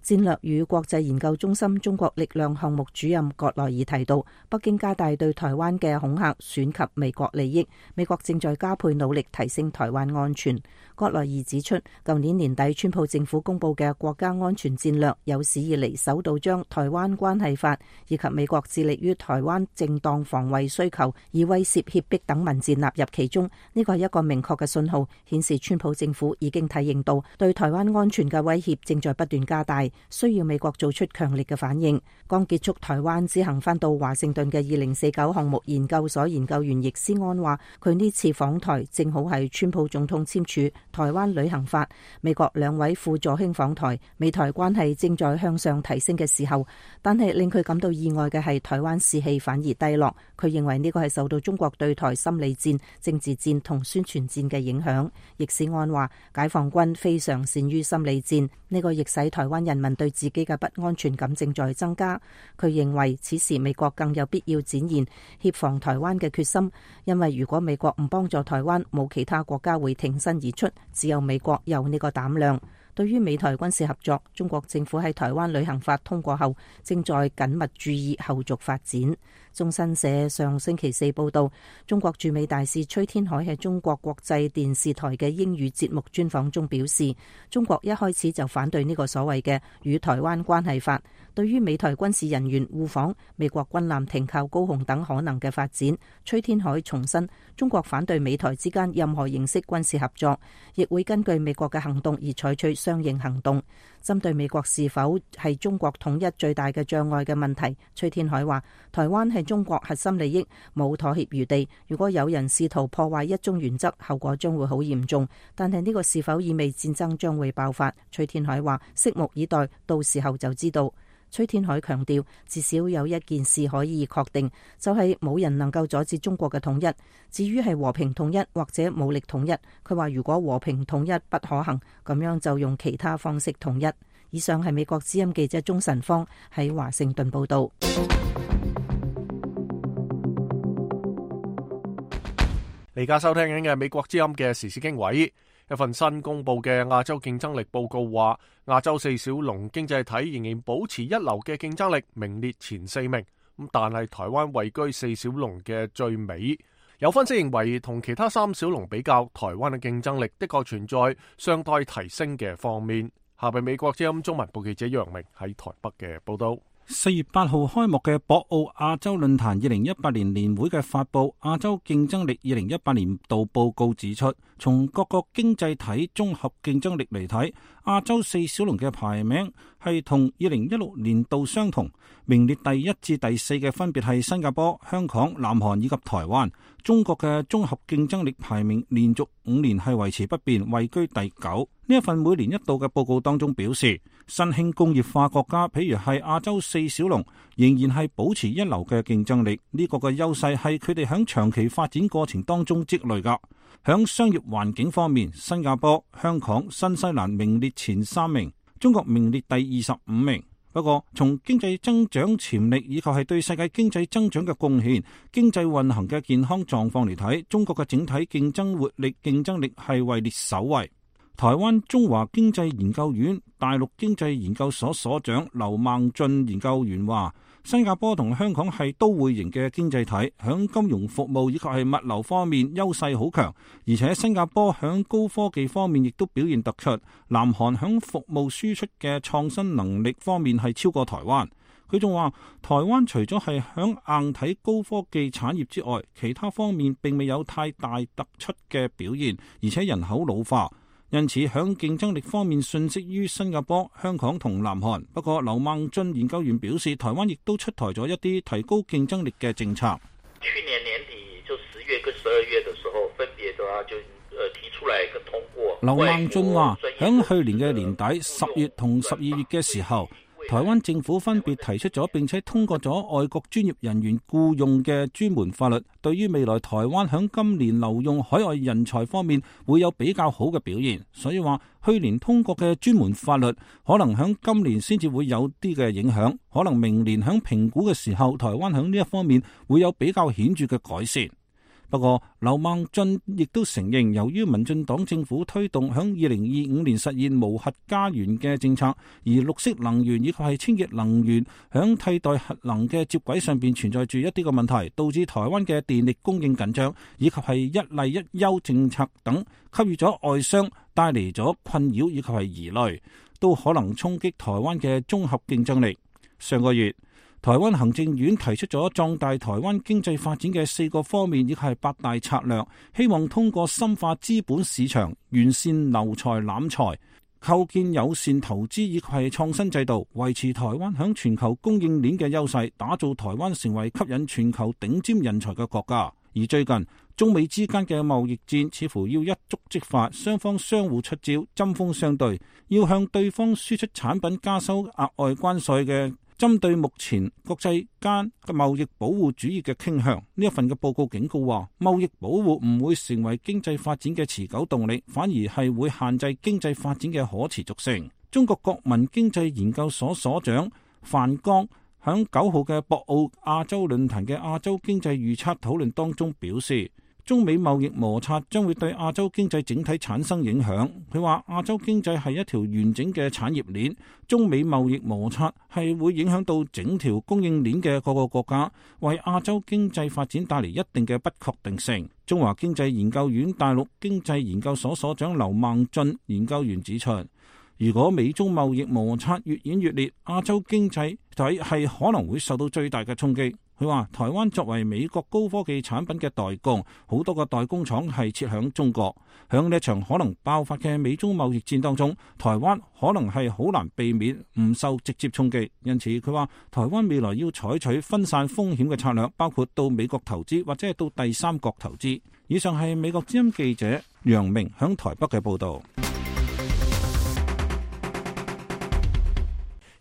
E: 戰略與國際研究中心中國力量項目主任葛萊爾提到，北京加大對台灣嘅恐嚇損及美國利益，美國正在加倍努力提升台灣安全。葛萊爾指出，舊年年底川普政府公布嘅國家安全戰略有史以嚟首度將台灣關係法以及美國致力於台灣正當防衛需求以威懾脅迫等文字納入其中。呢個係一個明確嘅信號，顯示川普政府已經體認到對台灣安全嘅威脅正在不斷加大，需要美國做出強烈嘅反應。剛結束台灣之行返到華盛頓嘅2049項目研究所研究員易思安話，佢呢次訪台正好係川普總統簽署台灣旅行法，美國2位副助卿訪台，美台關係正在向上提升嘅時候。但係令佢感到意外嘅係台灣士氣反而低落。佢認為呢個係受到中國對台心理戰、政治戰同宣傳戰嘅影響。易思安話，解放軍非常善於心理戰，呢個亦使台灣人民對自己嘅不安全感正在增加。佢認為此時美國更有必要展現協防台灣嘅決心，因為如果美國唔幫助台灣，冇其他國家會挺身而出，只有美國有呢個膽量。對於美台軍事合作，中國政府喺台灣旅行法通過後，正在緊密注意後續發展。中新社上星期4報道，中國駐美大使崔天凱喺中國國際電視台嘅英語節目專訪中表示，中國一開始就反對呢個所謂嘅與台灣關係法，對於美台軍事人員互訪、美國軍艦停靠高雄等可能嘅發展，崔天凱重申中國反對美台之間任何形式軍事合作，亦會根據美國嘅行動而採取相應行動。針對美國是否係中國統一最大嘅障礙嘅問題，崔天凱話：台灣係中國核心利益，冇妥協餘地。如果有人試圖破壞一中原則，後果將會好嚴重。但係呢個是否意味戰爭將會爆發？崔天凱話：拭目以待，到時候就知道。崔天凱強調，至少有一件事可以確定，就係冇人能夠阻止中國嘅統一。至於係和平統一或者武力統一，佢話如果和平統一不可行，咁樣就用其他方式統一。以上係美國之音記者鍾晨芳喺華盛頓報道。
A: 而家收聽緊嘅美國之音嘅時事經緯。一份新公布嘅亞洲競爭力報告話，亞洲四小龍經濟體仍然保持一流嘅競爭力，名列前4名。但係台灣位居四小龍嘅最尾。有分析認為，同其他3小龍比較，台灣嘅競爭力的確存在尚待提升嘅方面。下邊美國之音中文部記者楊明喺台北嘅報道。
F: 4月8號開幕嘅博鰲亞洲論壇2018年年會嘅發佈亞洲競爭力2018年度報告指出，從各個經濟體綜合競爭力嚟睇，亞洲四小龍嘅排名係同2016年度相同，名列第1至第4嘅分別係新加坡、香港、南韓以及台灣。中國嘅綜合競爭力排名連續5年係維持不變，位居第9。呢一份每年一度嘅報告當中表示，新興工業化國家，譬如係亞洲四小龍，仍然係保持一流嘅競爭力。呢個嘅優勢係佢哋響長期發展過程當中積累噶。響商業環境方面，新加坡、香港、新西蘭名列前3名，中國名列第25名。不過，從經濟增長潛力以及係對世界經濟增長嘅貢獻、經濟運行嘅健康狀況嚟睇，中國嘅整體競爭活力、競爭力係位列首位。台灣中華經濟研究院大陸經濟研究所所長劉孟俊研究員話，新加坡同香港係都會型嘅經濟體，響金融服務以及係物流方面優勢好強，而且新加坡響高科技方面亦都表現突出。南韓響服務輸出嘅創新能力方面係超過台灣。佢仲話，台灣除咗係響硬體高科技產業之外，其他方面並未有太大突出嘅表現，而且人口老化。因此，響競爭力方面遜色於新加坡、香港同南韓。不過，劉孟俊研究員表示，台灣亦都出台咗一啲提高競爭力嘅政策。
H: 去年年底就10月跟12月的時候，分別就提出來跟通過。
F: 劉孟俊話，響去年嘅年底10月同12月嘅時候，台灣政府分別提出咗並且通過咗外國專業人員僱用嘅專門法律，對於未來台灣響今年留用海外人才方面會有比較好嘅表現。所以話去年通過嘅專門法律可能響今年先至會有啲嘅影響，可能明年響評估嘅時候，台灣響呢一方面會有比較顯著嘅改善。不過，劉孟俊亦都承認，由於民進黨政府推動響2025年實現無核家園嘅政策，而綠色能源以及係清潔能源響替代核能嘅接軌上邊存在住一啲嘅問題，導致台灣嘅電力供應緊張，以及係一例一休政策等，給予咗外商帶嚟咗困擾以及係疑慮，都可能衝擊台灣嘅綜合競爭力。上個月，台灣行政院提出咗壯大台灣經濟發展嘅4個方面，亦係8大策略，希望通過深化資本市場、完善留才攬才、構建友善投資以及係創新制度，維持台灣響全球供應鏈嘅優勢，打造台灣成為吸引全球頂尖人才嘅國家。而最近中美之間嘅貿易戰似乎要一觸即發，雙方相互出招，針鋒相對，要向對方輸出產品加收額外關稅嘅。針對目前國際間嘅貿易保護主義嘅傾向，呢一份嘅報告警告話，貿易保護唔會成為經濟發展嘅持久動力，反而係會限制經濟發展嘅可持續性。中國國民經濟研究所所長范剛響9號嘅博鰲亞洲論壇嘅亞洲經濟預測討論當中表示，中美貿易摩擦將會對亞洲經濟整體產生影響。佢話亞洲經濟係一條完整嘅產業鏈，中美貿易摩擦係會影響到整條供應鏈嘅各個國家，為亞洲經濟發展帶嚟一定嘅不確定性。中華經濟研究院大陸經濟研究所所長劉孟俊研究員指出，如果美中貿易摩擦越演越烈，亞洲經濟體係可能會受到最大嘅衝擊。佢話台灣作為美國高科技產品嘅代工，好多個代工廠係設響中國。響呢一場可能爆發嘅美中貿易戰當中，台灣可能係好難避免唔受直接衝擊。因此佢話台灣未來要採取分散風險嘅策略，包括到美國投資或者係到第三國投資。以上係美國之音記者楊明響台北嘅報道。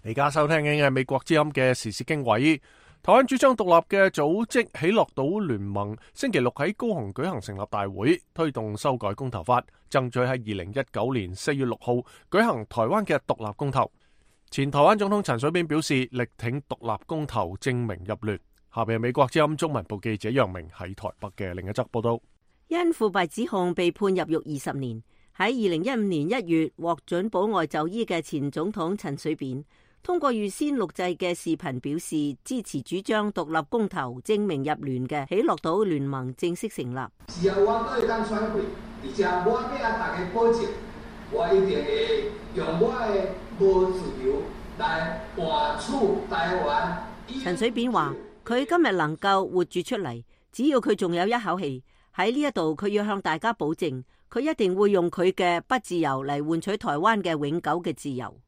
A: 而家收聽緊嘅美國之音嘅時事經緯。台灣主張獨立嘅組織喜樂島聯盟星期六喺高雄舉行成立大會，推動修改公投法，爭取喺2019年4月6號舉行台灣嘅獨立公投。前台灣總統陳水扁表示力挺獨立公投，正名入聯。下邊係美國之音中文部記者楊明喺台北嘅另一則報道。
I: 因腐敗指控被判入獄20年，喺2015年1月獲准保外就醫嘅前總統陳水扁，通過預先錄製嘅視頻表示支持主張獨立公投正名入聯嘅喜樂島聯盟正式成立。
J: 只要我對當選會，而且我要大家保證，我一定會用我嘅無自由來換取台灣。
I: 陳水扁話：佢今日能夠活住出嚟，只要佢仲有一口氣，喺呢一度佢要向大家保證，佢一定會用佢嘅不自由嚟換取台灣嘅永久嘅自由。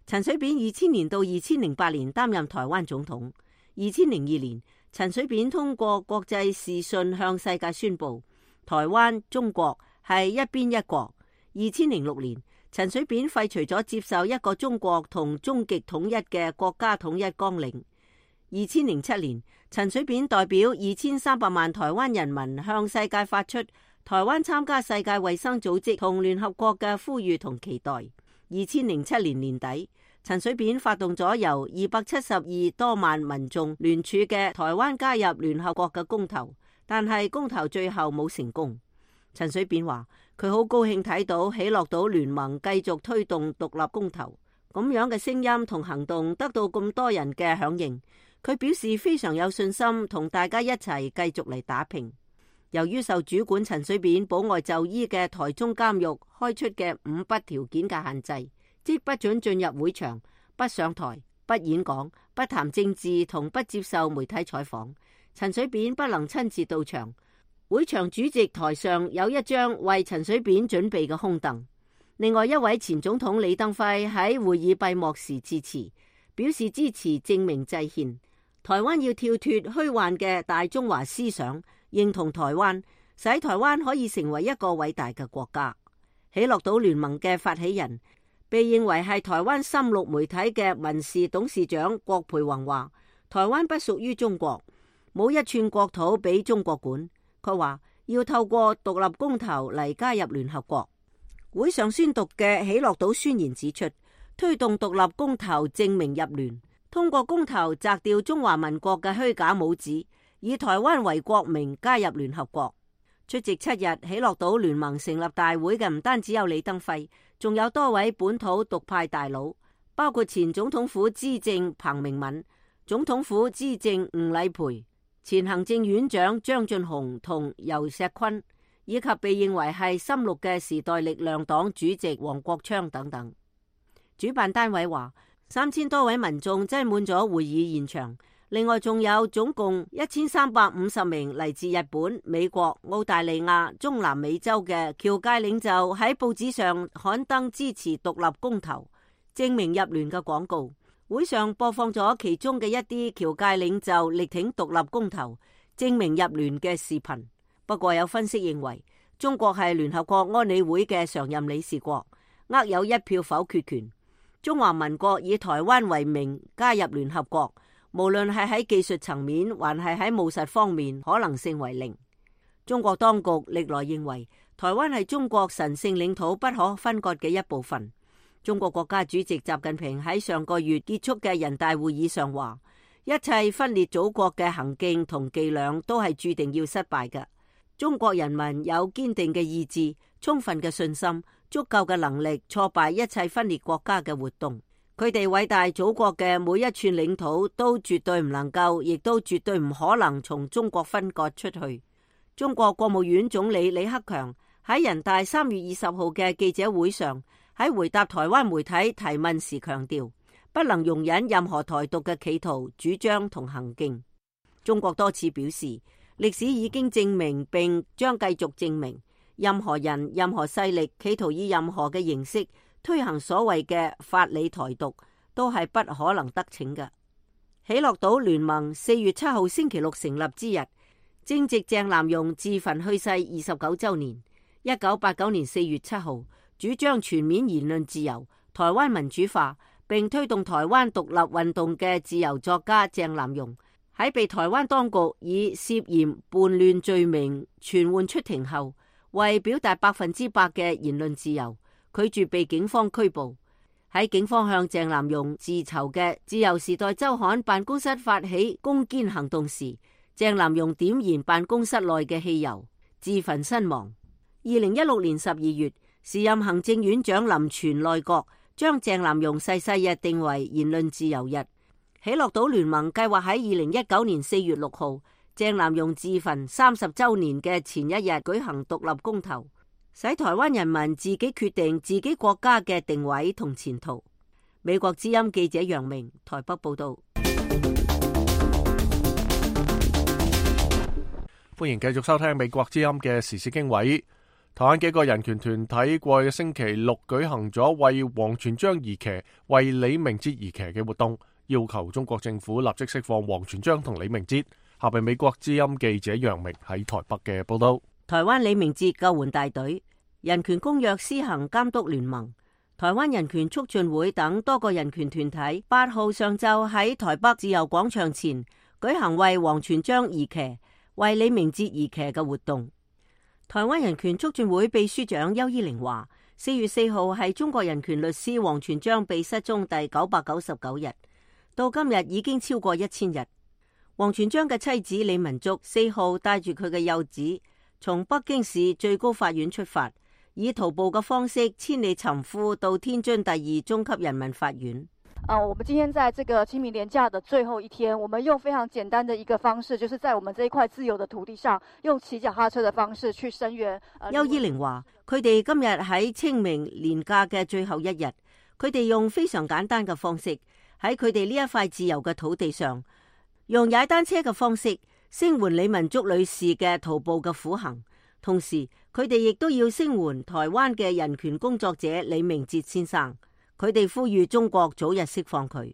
I: 陳水扁2000年到2008年擔任台灣總統。2002年，陳水扁通過國際視訊向世界宣布，台灣中國係一邊一國。2006年，陳水扁廢除咗接受一個中國同終極統一嘅國家統一綱領。2007年，陳水扁代表2300萬台灣人民向世界發出台灣參加世界衛生組織同聯合國嘅呼籲同期待。2007年年底，陳水扁發動咗由272多萬民眾聯署嘅台灣加入聯合國嘅公投，但係公投最後冇成功。陳水扁話佢好高興睇到喜樂島聯盟繼續推動獨立公投，咁樣嘅聲音同行動得到咁多人嘅響應，佢表示非常有信心同大家一齊繼續嚟打拼。由於受主管陳水扁保外就醫嘅台中監獄開出嘅5不條件嘅限制，即不准進入會場、不上台、不演講、不談政治同不接受媒體採訪，陳水扁不能親自到場。會場主席台上有一張為陳水扁準備嘅空凳。另外一位前總統李登輝喺會議閉幕時致辭，表示支持正名制憲，台灣要跳脫虛幻嘅大中華思想，認同台灣，使台灣可以成為一個偉大嘅國家。喜樂島聯盟嘅發起人，被認為係台灣深綠媒體嘅民視董事長郭培宏話：台灣不屬於中國，冇一寸國土俾中國管。佢話要透過獨立公投嚟加入聯合國。會上宣讀嘅喜樂島宣言指出，推動獨立公投正名入聯，通過公投摘掉中華民國嘅虛假帽子，以台灣為國名加入聯合國。出席7日喜樂島聯盟成立大會嘅唔單止有李登輝，仲有多位本土獨派大佬，包括前總統府資政彭明敏、總統府資政吳禮培、前行政院長張俊雄同游錫堃，以及被認為係深綠嘅時代力量黨主席黃國昌等等。主辦單位話，3000多位民眾擠滿咗會議現場。另外仲有總共1350名嚟自日本、美國、澳大利亞、中南美洲嘅僑界領袖喺報紙上刊登支持獨立公投、正名入聯嘅廣告。會上播放咗其中嘅一啲僑界領袖力挺獨立公投、正名入聯嘅視頻。不過有分析認為，中國係聯合國安理會嘅常任理事國，握有1票否決權。中華民國以台灣為名加入聯合國，無論係喺技術層面，還係喺務實方面，可能性為0。中國當局歷來認為，台灣係中國神聖領土不可分割嘅一部分。中國國家主席習近平喺上個月結束嘅人大會議上話，一切分裂祖國嘅行徑同伎倆都係注定要失敗嘅。中國人民有堅定嘅意志、充分嘅信心、足夠嘅能力挫敗一切分裂國家嘅活動。佢哋偉大祖國嘅每一寸領土都絕對唔能夠，亦都絕對唔可能從中國分割出去。中國國務院總理李克強喺人大3月20號嘅記者會上喺回答台灣媒體提問時強調，不能容忍任何台獨嘅企圖、主張同行徑。中國多次表示，歷史已經證明並將繼續證明，任何人、任何勢力企圖以任何嘅形式推行所謂嘅法理台獨，都係不可能得逞嘅。喜樂島聯盟4月7號星期六成立之日，正值鄭南榕自焚去世29週年。1989年4月7號，主張全面言論自由、台灣民主化，並推動台灣獨立運動嘅自由作家鄭南榕，喺被台灣當局以涉嫌叛亂罪名傳喚出庭後，為表達100%嘅言論自由，拒絕被警方拘捕。喺警方向鄭南榕自籌嘅自由時代週刊辦公室發起攻堅行動時，鄭南榕點燃辦公室內嘅汽油，自焚身亡。2016年12月，時任行政院長林全內閣將鄭南榕逝世日定為言論自由日。喜樂島聯盟計劃喺2019年4月6號，鄭南榕自焚30週年嘅前一日舉行獨立公投，使台灣人民自己決定自己國家嘅定位同前途。美國之音記者楊明台北報道。
A: 歡迎繼續收聽美國之音嘅時事經緯。台灣幾個人權團體過去嘅星期六舉行咗為王全璋而騎、為李明哲而騎嘅活動，要求中國政府立即釋放王全璋同李明哲。下邊美國之音記者楊明喺台北嘅報道。
I: 台灣李明哲救援大隊、人權公約施行監督聯盟、台灣人權促進會等多個人權團體8號上晝喺台北自由廣場前舉行為王全璋而騎、為李明哲而騎嘅活動。台灣人權促進會秘書長邱依玲話，4月4號係中國人權律師王全璋被失蹤第999日，到今日已經超過1000日。王全璋嘅妻子李文竹4號帶住佢嘅幼子從北京市最高法院出發，以徒步嘅方式千里尋夫到天津第2中級人民法院。
K: 我們今天在這個清明連假的最後一天，我們用非常簡單的一個方式，就是在我們這一塊自由的土地上，用騎腳踏車的方式去聲援。
I: 邱依玲話，佢哋今日喺清明連假嘅最後一日，佢哋用非常簡單嘅方式，喺佢哋呢一塊自由嘅土地上，用踩單車嘅方式聲援李文竹女士嘅徒步嘅苦行，同時佢哋亦都要聲援台灣嘅人權工作者李明哲先生。佢哋呼籲中國早日釋放佢。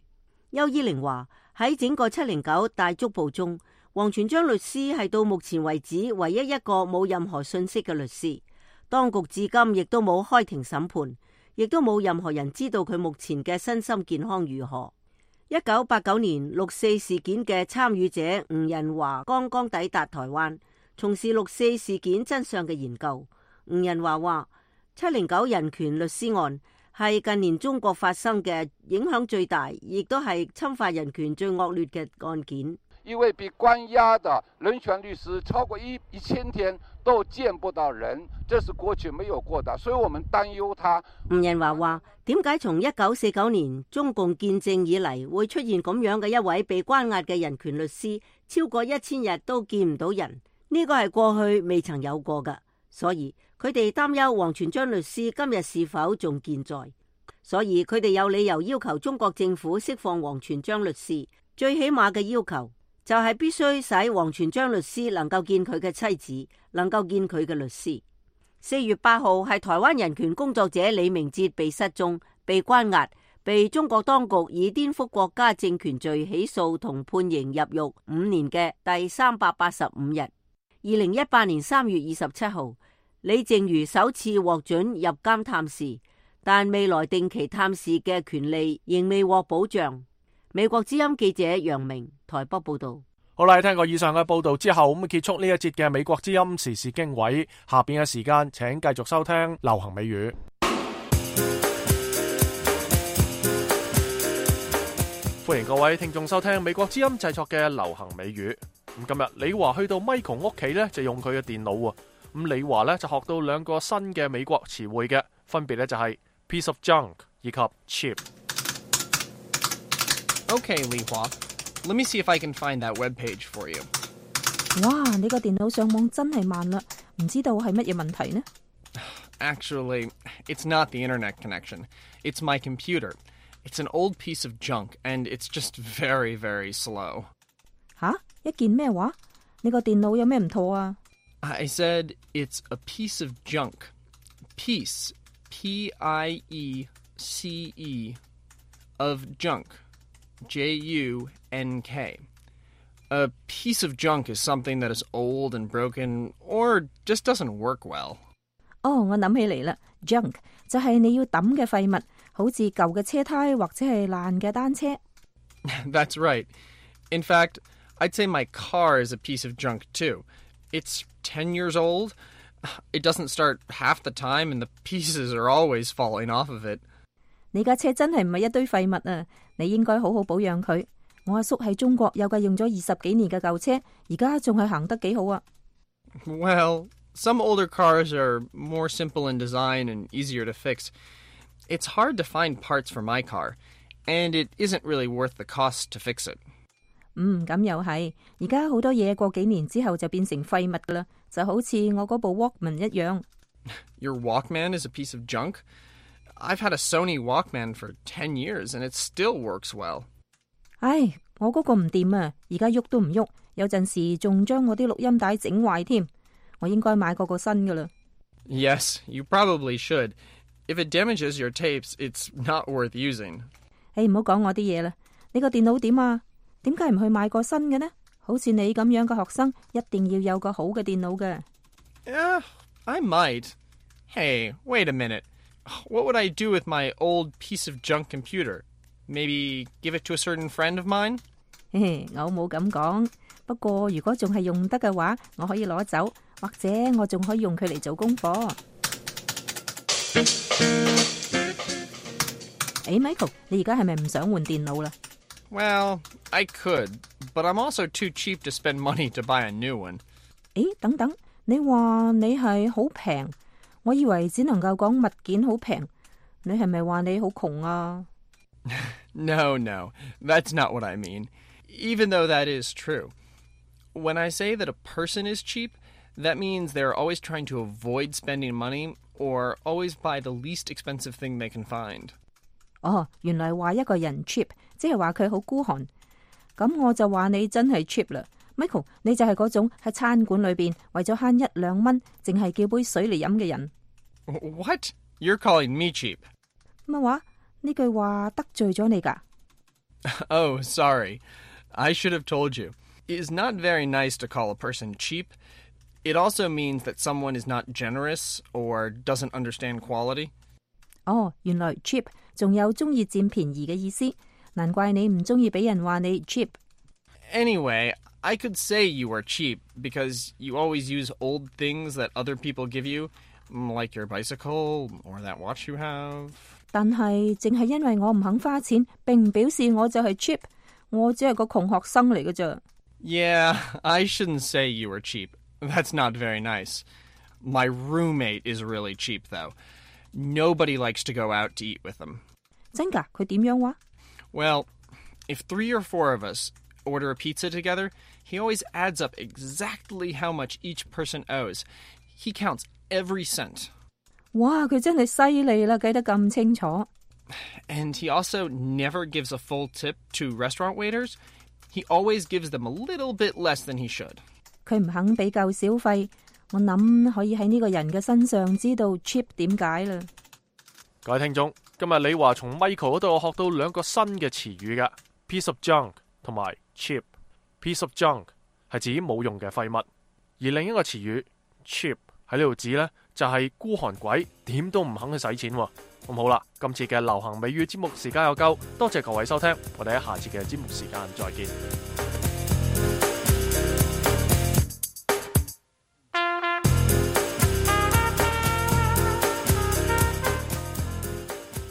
I: 邱依玲話，喺整個709大捉捕中，王全璋律師係到目前為止唯一一個冇任何信息嘅律師，當局至今亦都冇開庭審判，亦都冇任何人知道佢目前嘅身心健康如何。1989年6.4事件嘅參與者吳仁華剛剛抵達台灣，從事6.4事件真相嘅研究。吳仁華話，709人權律師案係近年中國發生嘅影響最大，亦都係侵犯人權最惡劣嘅案件。
L: 因為被關押的人權律師超過1000天都見不到人，這是過去沒有過的，所以我們擔憂他。
I: 吳仁華話，點解從1949年中共建政以嚟會出現咁樣嘅一位被關押嘅人權律師超過1000日都見唔到人？呢個係過去未曾有過㗎，所以佢哋擔憂王全璋律師今日是否仲健在，所以佢哋有理由要求中國政府釋放王全璋律師。最起碼嘅要求就係必須使王全璋律師能夠見佢嘅妻子，能夠見佢嘅律師。4月8號係台灣人權工作者李明哲被失蹤、被關押、被中國當局以顛覆國家政權罪起訴同判刑入獄5年嘅第385日。2018年3月27號，李淨瑜首次獲准入監探視，但未來定期探視嘅權利仍未獲保障。美國之音記者楊明台北報道。
A: 好啦，聽過以上嘅報道之後，咁結束呢一節嘅美國之音時事經緯。下邊嘅時間，請繼續收聽流行美語。歡迎各位聽眾收聽美國之音製作嘅流行美語。咁今日李華去到 Michael 屋企咧，就用佢嘅電腦喎。咁李華咧就學到2個新嘅美國詞彙嘅，分別咧就係 piece of junk 以及 cheap。Okay, 李華，Let me see if I can find that web page for you。
E: 哇，你個電腦上網真係慢啦，唔知道係乜嘢問題呢？
M: Actually, it's not the internet connection. It's my computer. It's an old piece of junk, and it's just very, very slow.
E: 吓？一件咩話？你個電腦有咩唔妥啊？
M: I said it's a piece of junk. Piece, P-I-E-C-E, of junk, J-U-N-K. A piece of junk is something that is old and broken or just doesn't work well.
E: 哦，我諗起嚟啦 ，junk 就係你要抌嘅廢物，好似舊嘅車胎或者係爛嘅單車。
M: That's right. In fact, I'd say my car is a piece of junk too. It's 10 years old. It doesn't start half the time and the pieces are always falling off of it.
E: 你架車真係唔係一堆廢物啊！你應該好好保養佢。我阿叔喺中國有架用咗20幾年嘅舊車，而家仲係行得幾好啊。
M: Well, some older cars are more simple in design and easier to fix. It's hard to find parts for my car, and it isn't really worth the cost to fix it.
E: 咁又係。而家好多嘢過幾年之後就變成廢物噶啦，就好似我嗰部 Walkman 一樣。
M: Your Walkman is a piece of junk? I've had a Sony Walkman for 10 years, and it still works well.
E: 唉，我嗰個唔掂啊，而家喐都唔喐，有陣時仲將我啲錄音帶整壞添。我應該買個新噶啦。
M: Yes, you probably should. If it damages your tapes, it's not worth using.
E: 唔好講我啲嘢啦。你個電腦點啊？點解唔去買個新嘅呢？好似你咁樣嘅學生，一定要有個好嘅電腦嘅。
M: I might. Hey, wait a minute. What would I do with my old piece of junk computer? Maybe give it to a certain friend of mine?
E: 我冇咁講。不過如果仲係用得嘅話，我可以攞走，或者我仲可以用佢嚟做功課。Michael， 你而家係咪唔想換電腦啦？
M: Well, I could, but I'm also too cheap to spend money to buy a new one.
E: 等等，你話你係好平，我以為只能夠講物件好平，你係咪話你好窮啊？
M: No, that's not what I mean. Even though that is true. When I say that a person is cheap, that means they're always trying to avoid spending money or always buy the least expensive thing they can find.
E: 原來話一個人 cheap， 即係話佢好孤寒。咁我就話你真係 cheap 啦。Michael， 你就係嗰種喺餐館裏邊為咗慳1-2蚊，淨係叫杯水嚟飲嘅人。
M: What? You're calling me cheap?
E: 乜話？呢句話得罪咗你㗎？
M: Oh, sorry. I should have told you. It is not very nice to call a person cheap. It also means that someone is not generous or doesn't understand quality.
E: 原來 cheap 仲有中意佔便宜嘅意思，難怪你唔中意俾人話你 cheap。
M: Anyway, I could say you are cheap because you always use old things that other people give you, like your bicycle or that watch you have.
E: 但係淨係因為我唔肯花錢，並唔表示我就係 cheap。我只係個窮學生嚟嘅啫。
M: Yeah, I shouldn't say you were cheap. That's not very nice. My roommate is really cheap, though. Nobody likes to go out to eat with him.
E: 真㗎？佢點樣話？
M: Well, if 3 or 4 of us order a pizza together, he always adds up exactly how much each person owes. He counts every cent.
E: 哇，佢真係犀利啦，計得咁清楚。
M: And he also never gives a full tip to restaurant waiters. He always gives them a little bit less than he should.
E: 佢唔肯俾夠小費，我諗可以喺呢個人嘅身上知道 cheap 點解啦。
A: 各位聽眾，今日李華從 Michael 嗰度學到2個新嘅詞語㗎 ，piece of junk 同埋 cheap。piece of junk 係指冇用嘅廢物，而另一個詞語 cheap 喺呢度指呢，就係孤寒鬼，點都唔肯去使錢喎。咁好啦，今次嘅流行美語節目時間又夠，多謝各位收聽，我哋喺下次嘅節目時間再見。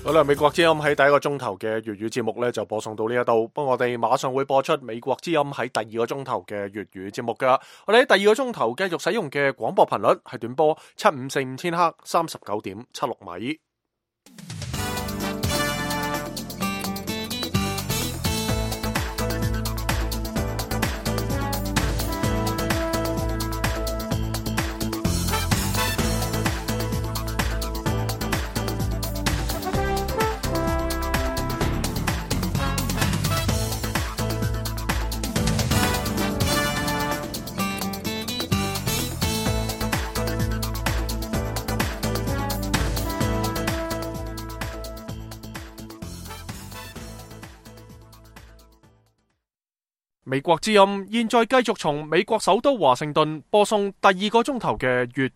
A: 好啦，美國之音喺第1個鐘頭嘅粵語節目呢就播送到呢一度，不過我哋馬上會播出美國之音喺第2個鐘頭嘅粵語節目噶。我哋喺第2個鐘頭繼續使用嘅廣播頻率係短波7545千赫39.76米。美國之音現在繼續從美國首都華盛頓播送第2個鐘頭嘅粵